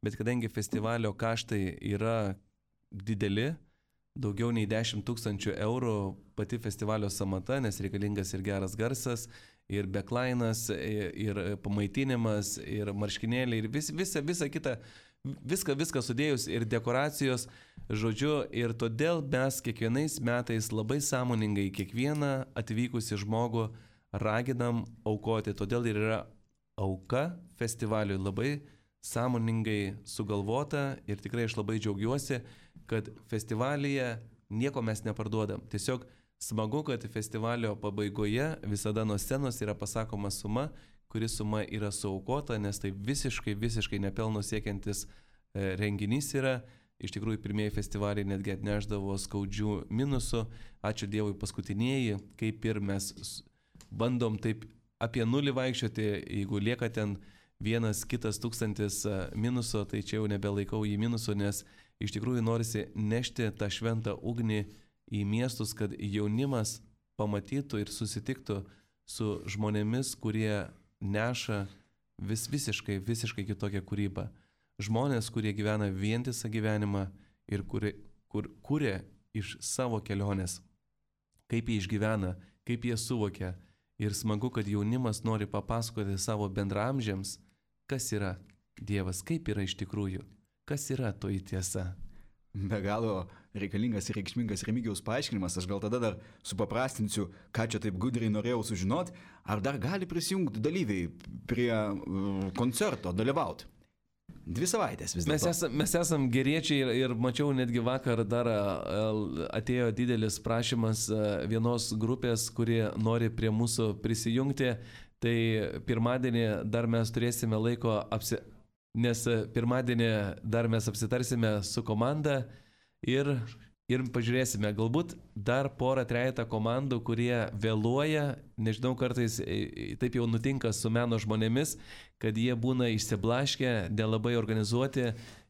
bet kadangi festivalio kaštai yra dideli, daugiau nei dešimt tūkstančių eurų pati festivalio samata, nes reikalingas ir geras garsas, ir backlainas, ir, ir pamaitinimas, ir marškinėliai, ir vis, visa, visa kita, viską, viską sudėjus, ir dekoracijos, žodžiu, ir todėl mes kiekvienais metais labai sąmoningai kiekvieną atvykusį žmogų raginam aukoti, todėl ir yra auka festivaliui labai sąmoningai sugalvota ir tikrai aš labai džiaugiuosi, kad festivalyje nieko mes neparduodam. Tiesiog smagu, kad festivalio pabaigoje visada nuo scenos yra pasakoma suma, kuri suma yra suaukota, nes tai visiškai, visiškai nepelno siekiantis renginys yra. Iš tikrųjų, pirmieji festivaliai netgi atneždavo skaudžių minusų. Ačiū Dievui, paskutinieji, kaip ir mes bandom taip apie nulį vaikščioti, jeigu lieka ten vienas kitas tūkstantis minuso, tai čia jau nebelaikau jį minusu, nes iš tikrųjų norisi nešti tą šventą ugnį į miestus, kad jaunimas pamatytų ir susitiktų su žmonėmis, kurie neša vis visiškai, visiškai kitokią kūrybą. Žmonės, kurie gyvena vientisą gyvenimą ir kurie, kur kuria iš savo kelionės. kaip jie išgyvena, kaip jie suvokia. Ir smagu, kad jaunimas nori papasakoti savo bendramžiams, kas yra Dievas, kaip yra iš tikrųjų, kas yra toji tiesa.
Be galo reikalingas ir reikšmingas Remigijaus paaiškinimas. Aš gal tada dar supaprastinsiu, ką čia taip gudriai norėjau sužinoti. Ar dar gali prisijungti dalyviai prie uh, koncerto, dalyvauti? Dvi savaitės vis dėlto.
Mes, esam, mes esam geriečiai ir, ir mačiau netgi vakar dar atėjo didelis prašymas vienos grupės, kuri nori prie mūsų prisijungti. Tai pirmadienį dar mes turėsime laiko, apsi... nes pirmadienį dar mes apsitarsime su komanda ir, ir pažiūrėsime, galbūt dar porą trejetą komandų, kurie vėluoja, nežinau, kartais taip jau nutinka su meno žmonėmis, kad jie būna išsiblaškę, nelabai organizuoti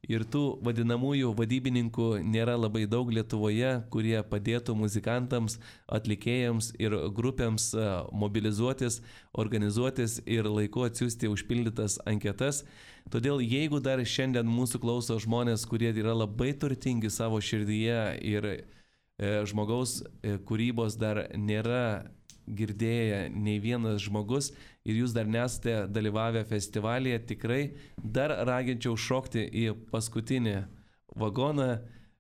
ir tų vadinamųjų vadybininkų nėra labai daug Lietuvoje, kurie padėtų muzikantams, atlikėjams ir grupėms mobilizuotis, organizuotis ir laiku atsiųsti užpildytas anketas. Todėl jeigu dar šiandien mūsų klauso žmonės, kurie yra labai turtingi savo širdyje ir e, žmogaus e, kūrybos dar nėra girdėję nei vienas žmogus ir jūs dar nesate dalyvavę festivalyje, tikrai dar raginčiau šokti į paskutinį vagoną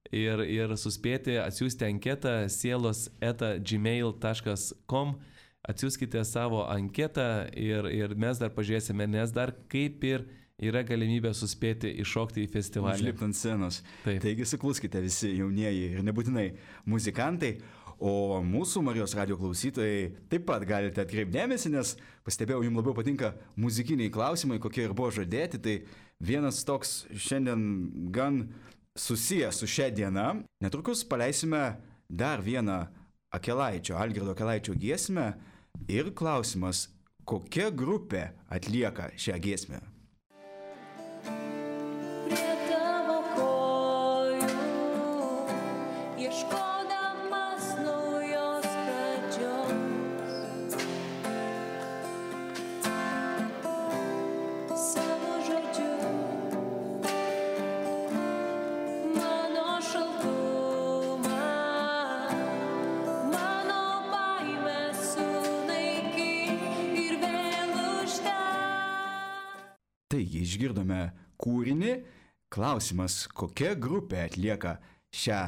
ir, ir suspėti atsiųsti anketą sielos eta gmail taškas com, atsiųskite savo anketą ir, ir mes dar pažiūrėsime, nes dar kaip ir yra galimybė suspėti iššokti į festivalį.
Užlipti ant scenos.
Taip.
Taigi sukluskite visi jaunieji ir nebūtinai muzikantai. O mūsų Marijos radijo klausytojai taip pat galite atkreipdėmėsi, nes pastebėjau, jums labiau patinka muzikiniai klausimai, kokie ir buvo žadėti. Tai vienas toks šiandien gan susijęs su šia diena. Netrukus paleisime dar vieną Akelaičio, Algirdo Akelaičio giesmę ir klausimas, kokia grupė atlieka šią giesmę. Taigi išgirdome kūrinį. Klausimas, kokia grupė atlieka šią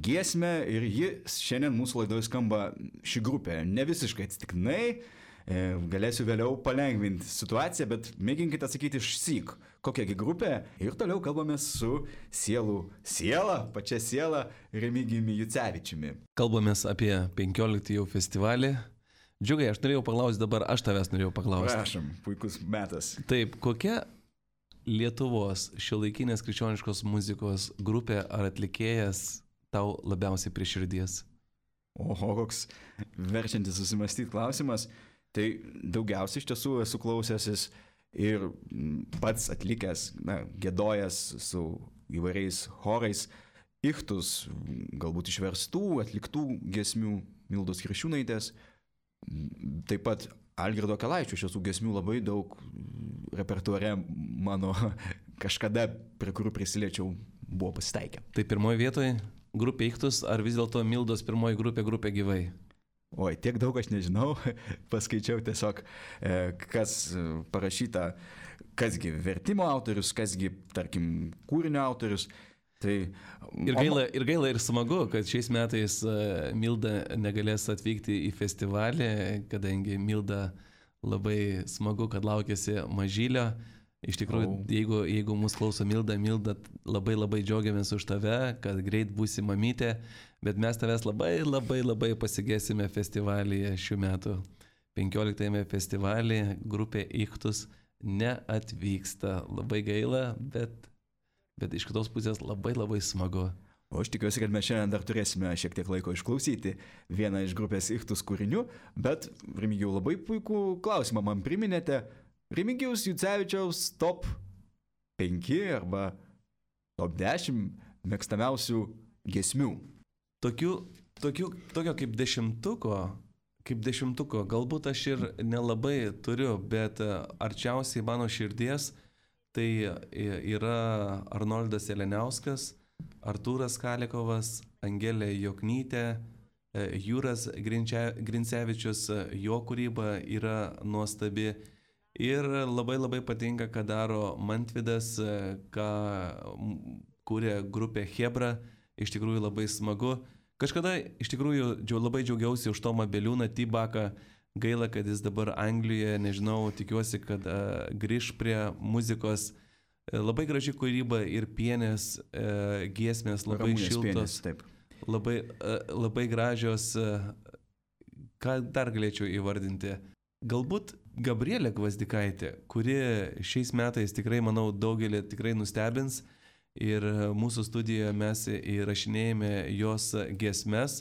giesmę ir ji šiandien mūsų laidoje skamba ši grupė. Ne visiškai atsitiktinai, galėsiu vėliau palengvinti situaciją, bet mėginkite atsakyti išsyk, kokiagi grupė. Ir toliau kalbame su sielų siela, pačia siela Remigijumi Jucevičiumi.
Kalbamės apie penkioliktąjį jau festivalį. Džiugai, aš norėjau paklausti dabar, aš tavęs norėjau paklausti.
Prašom, puikus metas.
Taip, kokia Lietuvos šiuolaikinės krikščioniškos muzikos grupė ar atlikėjas tau labiausiai prie širdies?
Oho, koks verčiantis susimastyti klausimas. Tai daugiausiai iš tiesų esu klausęsis ir pats atlikęs, na, giedojęs su įvairiais chorais, ichtus, galbūt išverstų, atliktų giesmių Mildos Kriščiūnaitės. Taip pat Algirdo Akelaičio šių giesmių labai daug repertuare mano kažkada, prie kurių prisiliečiau, buvo pasitaikę.
Tai pirmoji vietoje grupė Ichtus ar vis dėlto Mildos pirmoji grupė grupė Gyvai?
Oi, tiek daug aš nežinau, paskaičiau tiesiog, kas parašyta, kasgi vertimo autorius, kasgi, tarkim, kūrinio autorius. Tai,
ir, gaila, ir gaila ir smagu, kad šiais metais Milda negalės atvykti į festivalį, kadangi Milda labai smagu, kad laukėsi mažylio. Iš tikrųjų, oh. jeigu, jeigu mūsų klauso Milda, Milda, labai labai džiaugiamės už tave, kad greit būsi mamytė, bet mes tavęs labai labai labai pasigėsime festivalyje šių metų. penkioliktajame festivalyje grupė Ichtus neatvyksta. Labai gaila, bet... Bet iš kitos pusės labai labai smagu.
O aš tikiuosi, kad mes šiandien dar turėsime šiek tiek laiko išklausyti vieną iš grupės Ichtus kūrinių, bet Remigijau, labai puikų klausimą man priminėte. Remigijaus Jucevičiaus top penki arba top dešimt mėgstamiausių giesmių.
Tokių, tokių, tokio kaip dešimtuko, kaip dešimtuko, galbūt aš ir nelabai turiu, bet arčiausiai mano širdies tai yra Arnoldas Eleniauskas, Artūras Kalekovas, Angelė Joknytė, Jūras Grincevičius, jo kūryba yra nuostabi. Ir labai labai patinka, ką daro Mantvidas, ką kūrė grupė Hebra. Iš tikrųjų labai smagu. Kažkada iš tikrųjų labai džiaugiausi už Tomą Beliūną, T-Baką. Gaila, kad jis dabar Anglijoje, nežinau, tikiuosi, kad uh, grįž prie muzikos. Labai graži kūryba ir pienės, uh, giesmės, labai
Ramunės
šiltos,
pienės, taip.
labai, uh, labai gražios. Uh, ką dar galėčiau įvardinti? Galbūt Gabrielė Gvazdikaitė, kuri šiais metais tikrai, manau, daugelį tikrai nustebins. Ir mūsų studijoje mes įrašinėjame jos giesmes.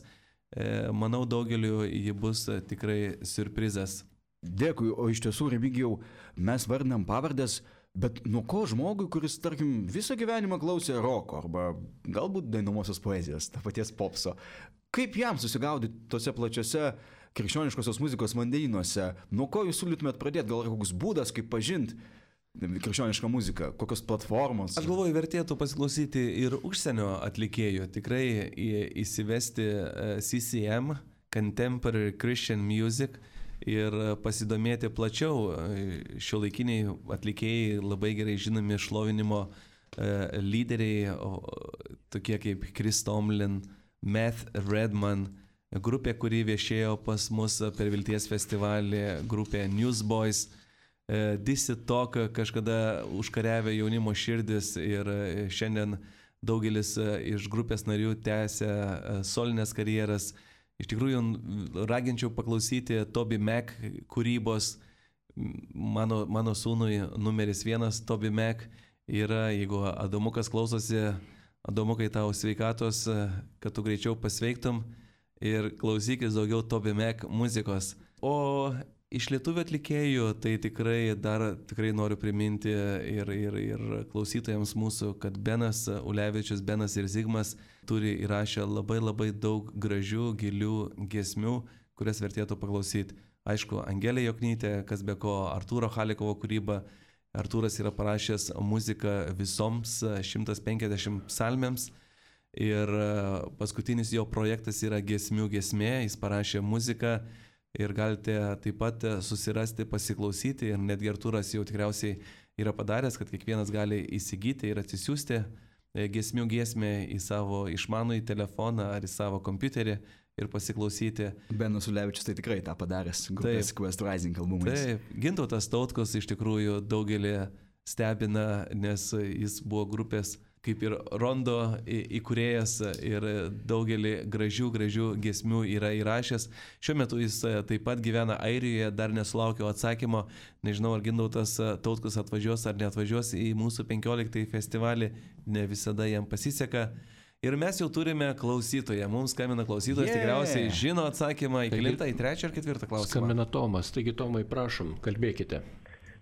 Manau, daugeliu ji bus tikrai siurprizas.
Dėkui, o iš tiesų, Remigijau, mes vardinam pavardės, bet nuo ko žmogui, kuris, tarkim, visą gyvenimą klausė roko arba galbūt dainomosios poezijos, ta paties popso, kaip jam susigaudyti tose plačiose krikščioniškosios muzikos vandenynuose? Nuo ko jūs siūlytumėt pradėti? Gal koks būdas, kaip pažinti krikščionišką muziką, kokios platformos?
Aš galvoju, vertėtų pasiklausyti ir užsienio atlikėjų, tikrai įsivesti C C M, Contemporary Christian Music, ir pasidomėti plačiau. Šiuolaikiniai atlikėjai labai gerai žinomi šlovinimo lyderiai, tokie kaip Chris Tomlin, Matt Redman, grupė, kuri viešėjo pas mus per Vilties festivalį, grupė Newsboys, Disi Talk, kažkada užkariavę jaunimo širdis, ir šiandien daugelis iš grupės narių tęsia solinės karjeras. Iš tikrųjų, raginčiau paklausyti Toby Mac kūrybos. Mano, mano sūnui numeris vienas Toby Mac yra, jeigu Adomukas klausosi, Adomukai, tau sveikatos, kad tu greičiau pasveiktum, ir klausykis daugiau Toby Mac muzikos. O iš lietuvių atlikėjų, tai tikrai dar tikrai noriu priminti ir, ir, ir klausytojams mūsų, kad Benas Ulevičius, Benas ir Zigmas turi įrašę labai labai daug gražių, gilių giesmių, kurias vertėtų paklausyti. Aišku, Angelė Joknytė, kas be ko, Artūro Halikovo kūryba. Artūras yra parašęs muziką visoms šimtas penkiasdešimt psalmėms, ir paskutinis jo projektas yra Giesmių giesmė, jis parašė muziką. Ir galite taip pat susirasti, pasiklausyti, ir netgi Artūras jau tikriausiai yra padaręs, kad kiekvienas gali įsigyti ir atsisiųsti giesmių giesmę į savo išmanųjį telefoną ar į savo kompiuterį ir pasiklausyti.
Benas Ulevičius tai tikrai tą padaręs, grupės Quest Rising albumais.
Taip, Gintautas Tautkus iš tikrųjų daugelį stebina, nes jis buvo grupės kaip ir Rondo įkūrėjas ir daugelį gražių, gražių giesmių yra įrašęs. Šiuo metu jis taip pat gyvena Airijoje, dar nesulaukiau atsakymo. Nežinau, ar Gintautas Tautkus atvažiuos ar neatvažiuos į mūsų penkioliktąjį festivalį, ne visada jam pasiseka. Ir mes jau turime klausytoją. Mums skambina klausytojas, yeah. Tikriausiai žino atsakymą į kelintą, į trečią ar ketvirtą klausimą.
Skambina Tomas, taigi Tomai, prašom, kalbėkite.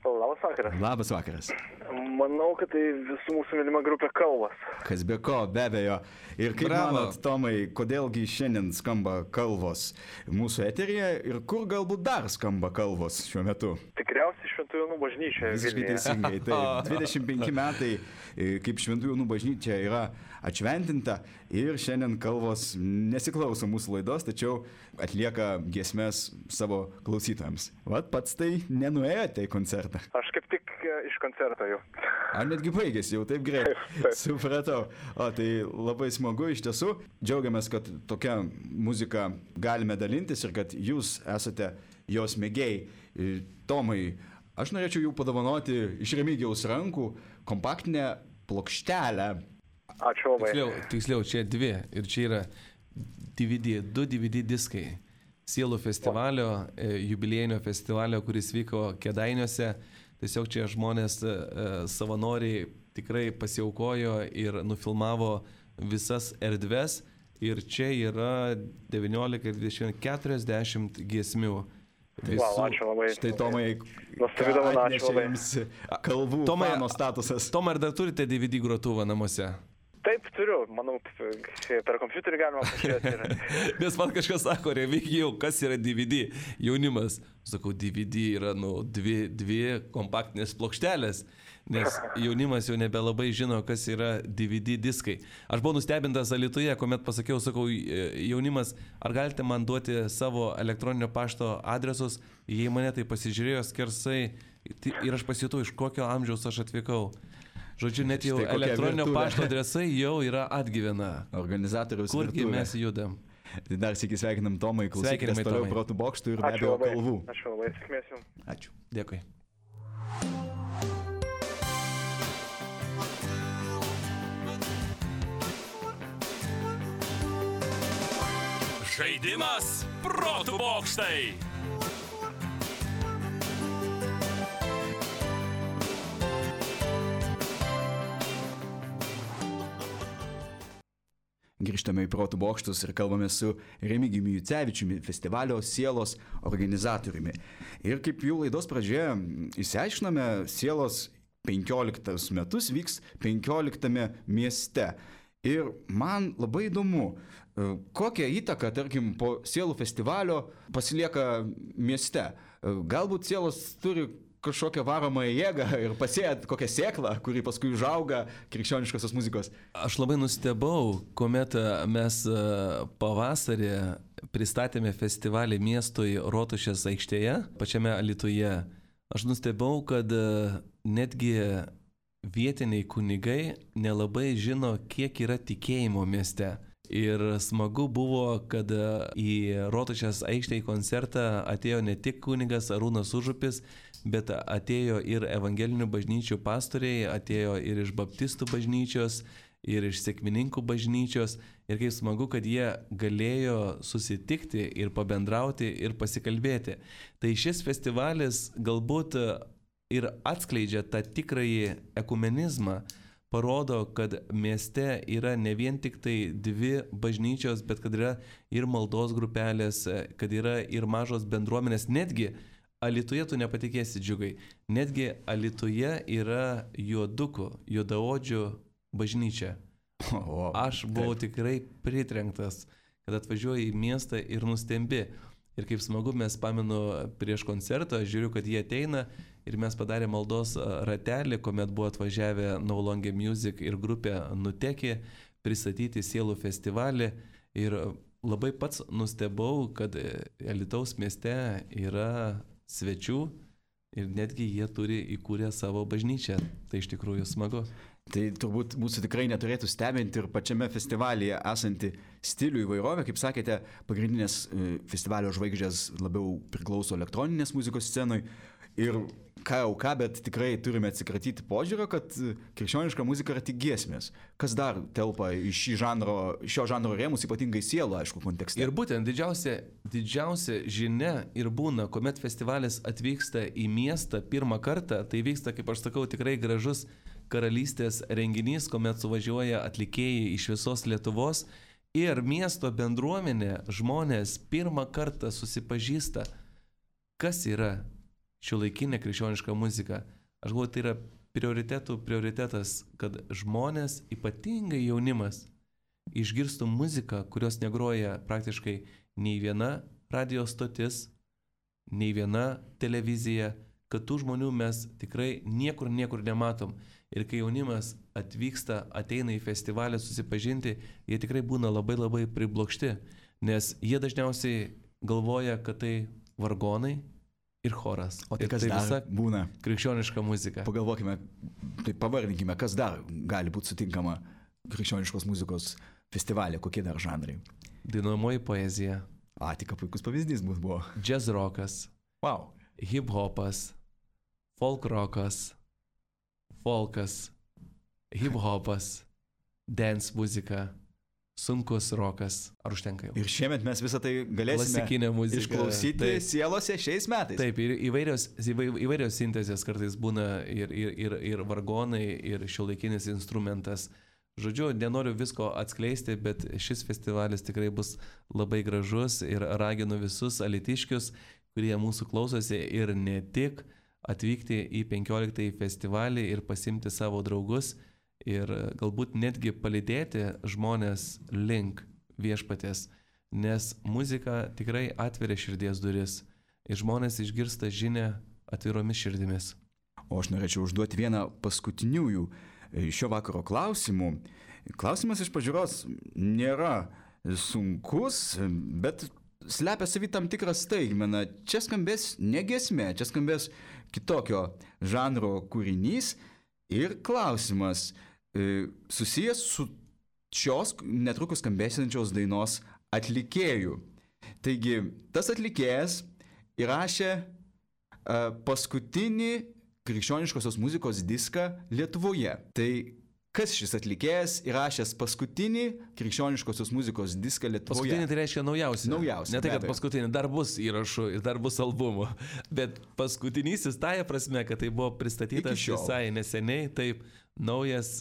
Labas vakaras.
Labas vakaras.
Manau, kad tai visų mūsų mylima grupė Kalvos.
Kas be ko, be abejo. Ir kaip
Bravo.
manot, Tomai, kodėlgi šiandien skamba Kalvos mūsų eteryje ir kur galbūt dar skamba Kalvos šiuo metu?
Tikriausiai Šventų Jonų bažnyčia.
Visiškai teisingai. Taip, dvidešimt penki metai, kaip Šventų Jonų bažnyčia yra atšventinta, ir šiandien Kalvos nesiklauso mūsų laidos, tačiau atlieka giesmes savo klausytojams. Vat pats tai nenuėjote į koncertą.
Aš kaip tik iš koncerto jau.
Ar netgi baigėsi jau taip greit? Supratau. O tai labai smagu iš tiesų. Džiaugiamės, kad tokia muzika galime dalintis ir kad jūs esate jos mėgėjai. Tomai, aš norėčiau jų padovanoti iš Remigijaus rankų kompaktinę plokštelę.
Ačiū labai.
Tiksliau, tiksliau, čia dvi. Ir čia yra D V D, du D V D diskai. Sielų festivalio, jubiliejinio festivalio, kuris vyko Kėdainiuose. Tiesiog čia žmonės savanoriai tikrai pasiaukojo ir nufilmavo visas erdves. Ir čia yra devyniolika, dvidešimt, keturiasdešimt giesmių.
Visų... Wow, ačiū labai.
Štai Tomai,
nuostabi dovana, ačiū labai.
Kalvų
Tomai,
fano statusas.
Tomai, ar dar turite D V D grotuvą namuose?
Taip, turiu. Manau, per kompiuterį galima pažiūrėti.
Nes man kažkas sako, Remigijau, kas yra D V D? Jaunimas. Sakau, D V D yra, nu, dvi, dvi kompaktinės plokštelės. nes jaunimas jau nebelabai žino, kas yra D V D diskai. Aš buvau nustebintas Alytuje, kuomet pasakiau, sakau, jaunimas, ar galite man duoti savo elektroninio pašto adresus, jei mane tai pasižiūrėjo skersai ir aš pasijutau, iš kokio amžiaus aš atvykau. Žodžiu, net jau elektroninio pašto adresai jau yra atgyvena.
Organizatoriaus
Kurgi mes judam.
Dar sėki sveikinam Tomai, klausykitės toliau Protų bokštų ir be abejo kalvų.
Ačiū labai, sėkmės jums.
Ačiū.
Dėkui.
Žaidimas Protų bokštai.
Grįžtame į Protų bokštus ir kalbame su Remigijumi Jucevičiumi, festivalio Sielos organizatoriumi. Ir kaip jau laidos pradžioje išsiaiškiname, Sielos penkioliktus metus vyks penkioliktame mieste. Ir man labai įdomu, kokią įtaką, tarkim, po Sielų festivalio pasilieka mieste. Galbūt Sielos turi kažkokią varomąją jėgą ir pasėt kokią sėklą, kuri paskui užauga krikščioniškosios muzikos.
Aš labai nustebau, kuomet mes pavasarį pristatėme festivalį miestui Rotušės aikštėje, pačiame Alytuje. Aš nustebau, kad netgi vietiniai kunigai nelabai žino, kiek yra tikėjimo mieste. Ir smagu buvo, kad į Rotušės aikštę į koncertą atėjo ne tik kunigas Arūnas Užupis, bet atėjo ir evangelinių bažnyčių pastoriai, atėjo ir iš baptistų bažnyčios, ir iš sekmininkų bažnyčios. Ir kaip smagu, kad jie galėjo susitikti ir pabendrauti ir pasikalbėti. Tai šis festivalis galbūt ir atskleidžia tą tikrąjį ekumenizmą, parodo, kad mieste yra ne vien tik tai dvi bažnyčios, bet kad yra ir maldos grupelės, kad yra ir mažos bendruomenės. Netgi Alytuje tu nepatikėsi, Džiugai, netgi Alytuje yra juodukų, juodaodžių bažnyčia. Aš buvau tikrai pritrenktas, kad atvažiuoju į miestą ir nustembi. Ir kaip smagu, mes pamenu prieš koncertą, žiūriu, kad jie ateina ir mes padarė maldos ratelį, kuomet buvo atvažiavę No Longer Music ir grupė Nutekė pristatyti Sielų festivalį. Ir labai pats nustebau, kad Alytaus mieste yra svečių ir netgi jie turi įkūrę savo bažnyčią. Tai iš tikrųjų smagu.
Tai turbūt mūsų tikrai neturėtų stebinti ir pačiame festivalyje esanti stilių įvairovė. Kaip sakėte, pagrindinės festivalio žvaigždės labiau priklauso elektroninės muzikos scenui. Ir ką jau ką, bet tikrai turime atsikratyti požiūrio, kad krikščioniška muzika yra tik giesmės. Kas dar telpa į šį žanro, šio žanro rėmus, ypatingai sielų, aišku, kontekste.
Ir būtent didžiausia, didžiausia žinia ir būna, kuomet festivalis atvyksta į miestą pirmą kartą, tai vyksta, kaip aš sakau, tikrai gražus karalystės renginys, kuomet suvažiuoja atlikėjai iš visos Lietuvos ir miesto bendruomenė, žmonės pirmą kartą susipažįsta, kas yra šiuolaikinė krikščioniška muzika. Aš galvoju, tai yra prioritetų prioritetas, kad žmonės, ypatingai jaunimas, išgirstų muziką, kurios negroja praktiškai nei viena radio stotis, nei viena televizija, kad tų žmonių mes tikrai niekur, niekur nematom. Ir kai jaunimas atvyksta, ateina į festivalį susipažinti, jie tikrai būna labai labai priblokšti, nes jie dažniausiai galvoja, kad tai vargonai ir choras.
O tai
ir
kas
tai
dar būna?
Krikščioniška muzika.
Pagalvokime, tai pavardinkime, kas dar gali būti sutinkama krikščioniškos muzikos festivalė, kokie dar žanrai?
Dainuojamoji poezija.
A, tik puikus pavyzdys buvo.
Jazz rokas.
Wow.
Hip hopas. Folk rokas. Folkas. Hip hopas. Dance muzika. Sunkus rokas. Ar užtenka jau?
Ir šiemet mes visą tai galėsime išklausyti taip, sielose šiais metais.
Taip, ir įvairios, įvairios sintezės kartais būna ir, ir, ir, ir vargonai, ir šiuolaikinis instrumentas. Žodžiu, nenoriu visko atskleisti, bet šis festivalis tikrai bus labai gražus ir raginu visus alytiškius, kurie mūsų klausosi ir ne tik, atvykti į penkioliktąjį festivalį ir pasimti savo draugus. Ir galbūt netgi palydėti žmonės link viešpaties, nes muzika tikrai atveria širdies duris ir žmonės išgirsta žinią atviromis širdimis.
O aš norėčiau užduoti vieną paskutiniųjų šio vakaro klausimų. Klausimas iš pažiūros nėra sunkus, bet slepia savy tam tikrą staigmeną. Čia skambės ne giesmė, čia skambės kitokio žanro kūrinys ir klausimas e, susijęs su šios netrukus skambėsiančios dainos atlikėjų. Taigi, tas atlikėjas įrašė e, paskutinį krikščioniškosios muzikos diską Lietuvoje. Tai kas šis atlikėjas įrašęs paskutinį krikščioniškosios muzikos diską Lietuvoje?
Paskutinį tai reiškia naujausią.
Naujausią.
Ne tai, kad paskutinį, dar bus įrašų ir dar bus albumų. Bet paskutinysis tąja prasme, kad tai buvo pristatytas visai neseniai, taip naujas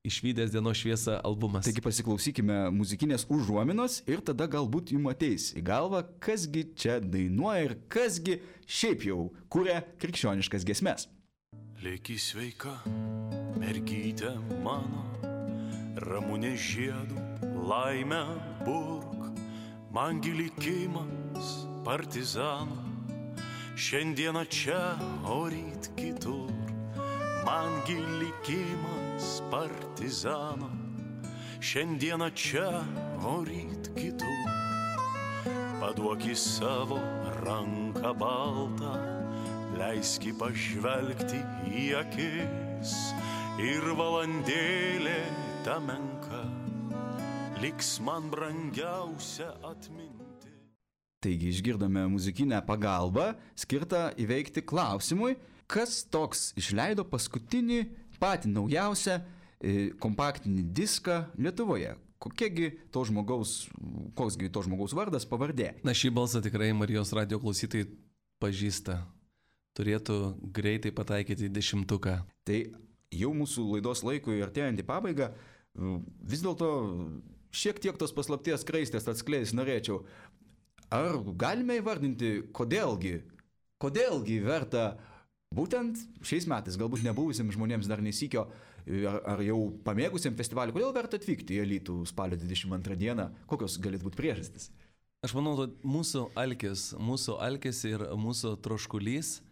išvydęs dienos šviesą albumas.
Taigi pasiklausykime muzikinės užuominos ir tada galbūt jums ateis į galvą, kasgi čia dainuoja ir kasgi šiaip jau kūrė krikščioniškas giesmes.
Lėki sveika, mergytė mano, ramunė žiedų, laimę burk, mangi likimas partizanų, šiandieną čia, o ryt kitur, mangi likimas partizanų, šiandieną čia, o ryt kitur, paduoki savo ranką baltą, leiski pažvelgti į akis ir valandėlė ta menka liks man brangiausia atminti.
Taigi išgirdome muzikinę pagalbą skirtą įveikti klausimui, kas toks išleido paskutinį patį naujausią e, kompaktinį diską Lietuvoje. Kokiegi to žmogaus, koksgi to žmogaus vardas, pavardė?
Na, šį balsą tikrai Marijos radijo klausytojai pažįsta. Turėtų greitai pataikyti į dešimtuką.
Tai jau mūsų laidos laikui artėjant į pabaigą, vis dėlto šiek tiek tos paslapties skraistės atskleis norėčiau. Ar galime įvardinti, kodėlgi, kodėlgi verta būtent šiais metais, galbūt nebuvusiems žmonėms dar nesykio, ar, ar jau pamėgusiems festivalį, kodėl verta atvykti į Alytų spalio dvidešimt antrą dieną, kokios galėtų būti priežastys?
Aš manau, kad mūsų alkis, mūsų alkis ir mūsų troškulys,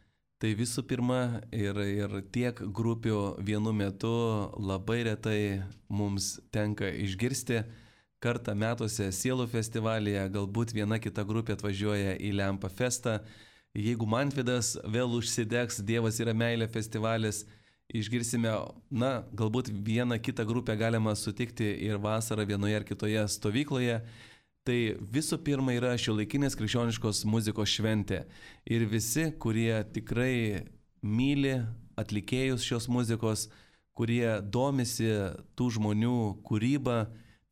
tai visų pirma ir, ir tiek grupių vienu metu labai retai mums tenka išgirsti. Kartą metuose Sielų festivalyje, galbūt viena kita grupė atvažiuoja į Lempa festą. Jeigu Mantvidas vėl užsidegs Dievas yra meilė festivalis, išgirsime, na, galbūt vieną kitą grupę galima sutikti ir vasarą vienoje ar kitoje stovykloje. Tai visų pirma yra šiuolaikinės krikščioniškos muzikos šventė. Ir visi, kurie tikrai myli atlikėjus šios muzikos, kurie domisi tų žmonių kūrybą,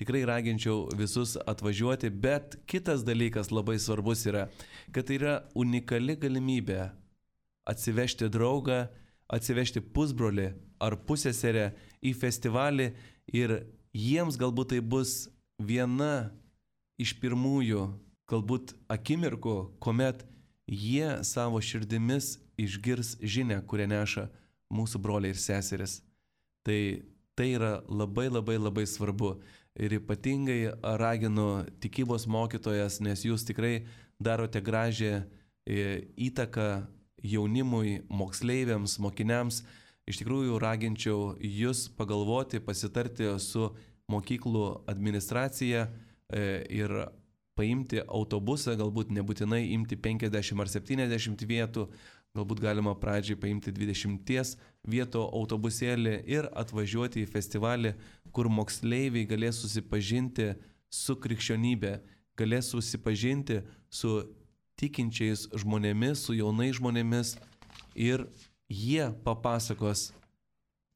tikrai raginčiau visus atvažiuoti. Bet kitas dalykas labai svarbus yra, kad tai yra unikali galimybė atsivežti draugą, atsivežti pusbrolį ar pusseserę į festivalį ir jiems galbūt tai bus viena iš pirmųjų, galbūt akimirkų, kuomet jie savo širdimis išgirs žinią, kurią neša mūsų broliai ir seseris. Tai, tai yra labai labai labai svarbu. Ir ypatingai raginu tikybos mokytojas, nes jūs tikrai darote gražią įtaką jaunimui, moksleiviams, mokiniams. Iš tikrųjų raginčiau jūs pagalvoti, pasitarti su mokyklų administracija ir paimti autobusą, galbūt nebūtinai imti penkiasdešimt ar septyniasdešimt vietų, galbūt galima pradžiai paimti dvidešimt vietų autobusėlį ir atvažiuoti į festivalį, kur moksleiviai galės susipažinti su krikščionybė, galės susipažinti su tikinčiais žmonėmis, su jaunais žmonėmis ir jie papasakos,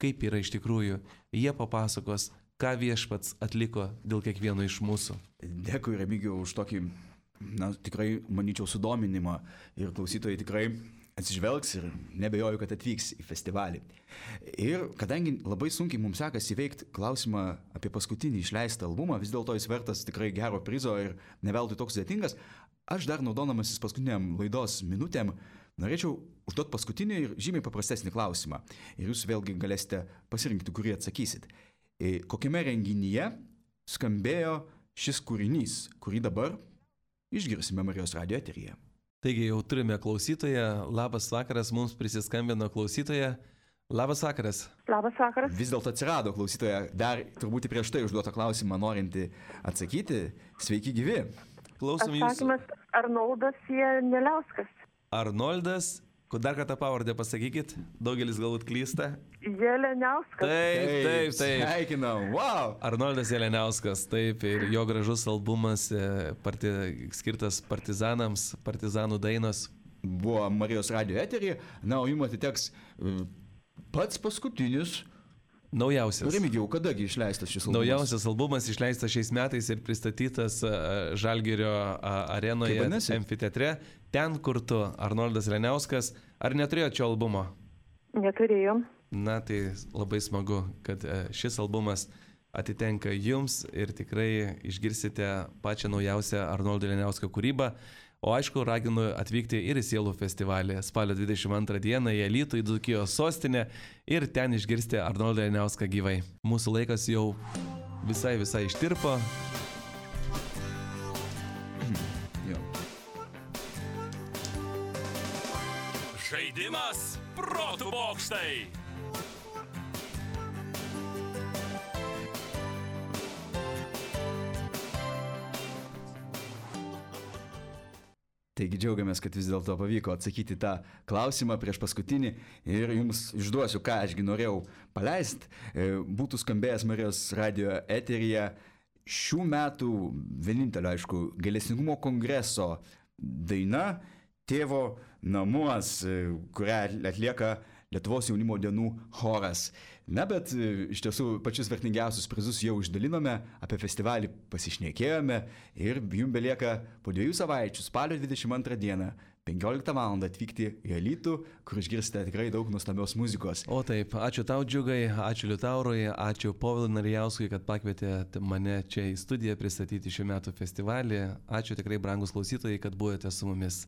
kaip yra iš tikrųjų, jie papasakos, ką viešpats atliko dėl kiekvieno iš mūsų.
Dėkui, Remigijau, už tokį, na, tikrai, manyčiau, sudominimą ir klausytojai tikrai atsižvelgs ir nebejoju, kad atvyks į festivalį. Ir kadangi labai sunkiai mums sekasi įveikti klausimą apie paskutinį išleistą albumą, vis dėlto jis vertas tikrai gero prizo ir neveltui toks sudėtingas, aš dar naudodamasis paskutiniam laidos minutėm norėčiau užduoti paskutinį ir žymiai paprastesnį klausimą. Ir jūs vėlgi galėsite pasirinkti, kurį atsakysit. Kokiame renginyje skambėjo šis kūrinys, kurį dabar išgirsime Marijos radijo eteryje?
Taigi jau turime klausytoją. Labas vakaras, mums prisiskambino klausytoja. Labas vakaras.
Labas vakaras.
Vis dėlto atsirado klausytoja, dar turbūt prieš tai užduotą klausimą norinti atsakyti. Sveiki gyvi.
Klausom jūsų.
Atsakymas Arnoldas Jeliauskas.
Arnoldas, dar kartą pavardę pasakykit, daugelis galbūt klysta.
Jeliauskas.
Taip, taip, taip.
Sveikinam, wow.
Arnoldas Jeliauskas, taip, ir jo gražus albumas parti, skirtas partizanams, partizanų dainos.
Buvo Marijos radijo eterį, na, o jums atiteks pats paskutinis.
Naujausias.
Remigijau, kadagi išleistas šis albumas?
Naujausias albumas išleistas šiais metais ir pristatytas Žalgirio arenoje, amfiteatre. Ten, kur tu, Arnoldas Jeliauskas. Ar neturėjot šio albumo?
Neturėjom.
Na, tai labai smagu, kad šis albumas atitenka jums ir tikrai išgirsite pačią naujausią Arnoldo Jeliausko kūrybą. O aišku, raginu atvykti ir į Sielų festivalį spalio dvidešimt antrą dieną į Alytų, į Dzūkijos sostinę ir ten išgirsti Arnoldą Jeliauską gyvai. Mūsų laikas jau visai visai ištirpo.
Žaidimas protų bokštai.
Taigi džiaugiamės, kad vis dėlto pavyko atsakyti tą klausimą prieš paskutinį ir jums išduosiu, ką ašgi norėjau paleisti. Būtų skambėjęs Marijos radijo eteryje šių metų vienintelio, aišku, gailestingumo kongreso daina Tėvo namuos, kurią atlieka Lietuvos jaunimo dienų choras. Na, bet iš tiesų pačius vertingiausius prizus jau išdalinome, apie festivalį pasišnekėjome ir jums belieka po dviejų savaičių, spalio dvidešimt antrą dieną, penkioliktą valandą atvykti į Alytų, kur išgirsite tikrai daug nuostabios muzikos.
O taip, ačiū tau, Džiugai, ačiū Liutaurui, ačiū Povilui Narijauskui, kad pakvietėte mane čia į studiją pristatyti šių metų festivalį. Ačiū tikrai, brangus klausytojai, kad buvote su mumis.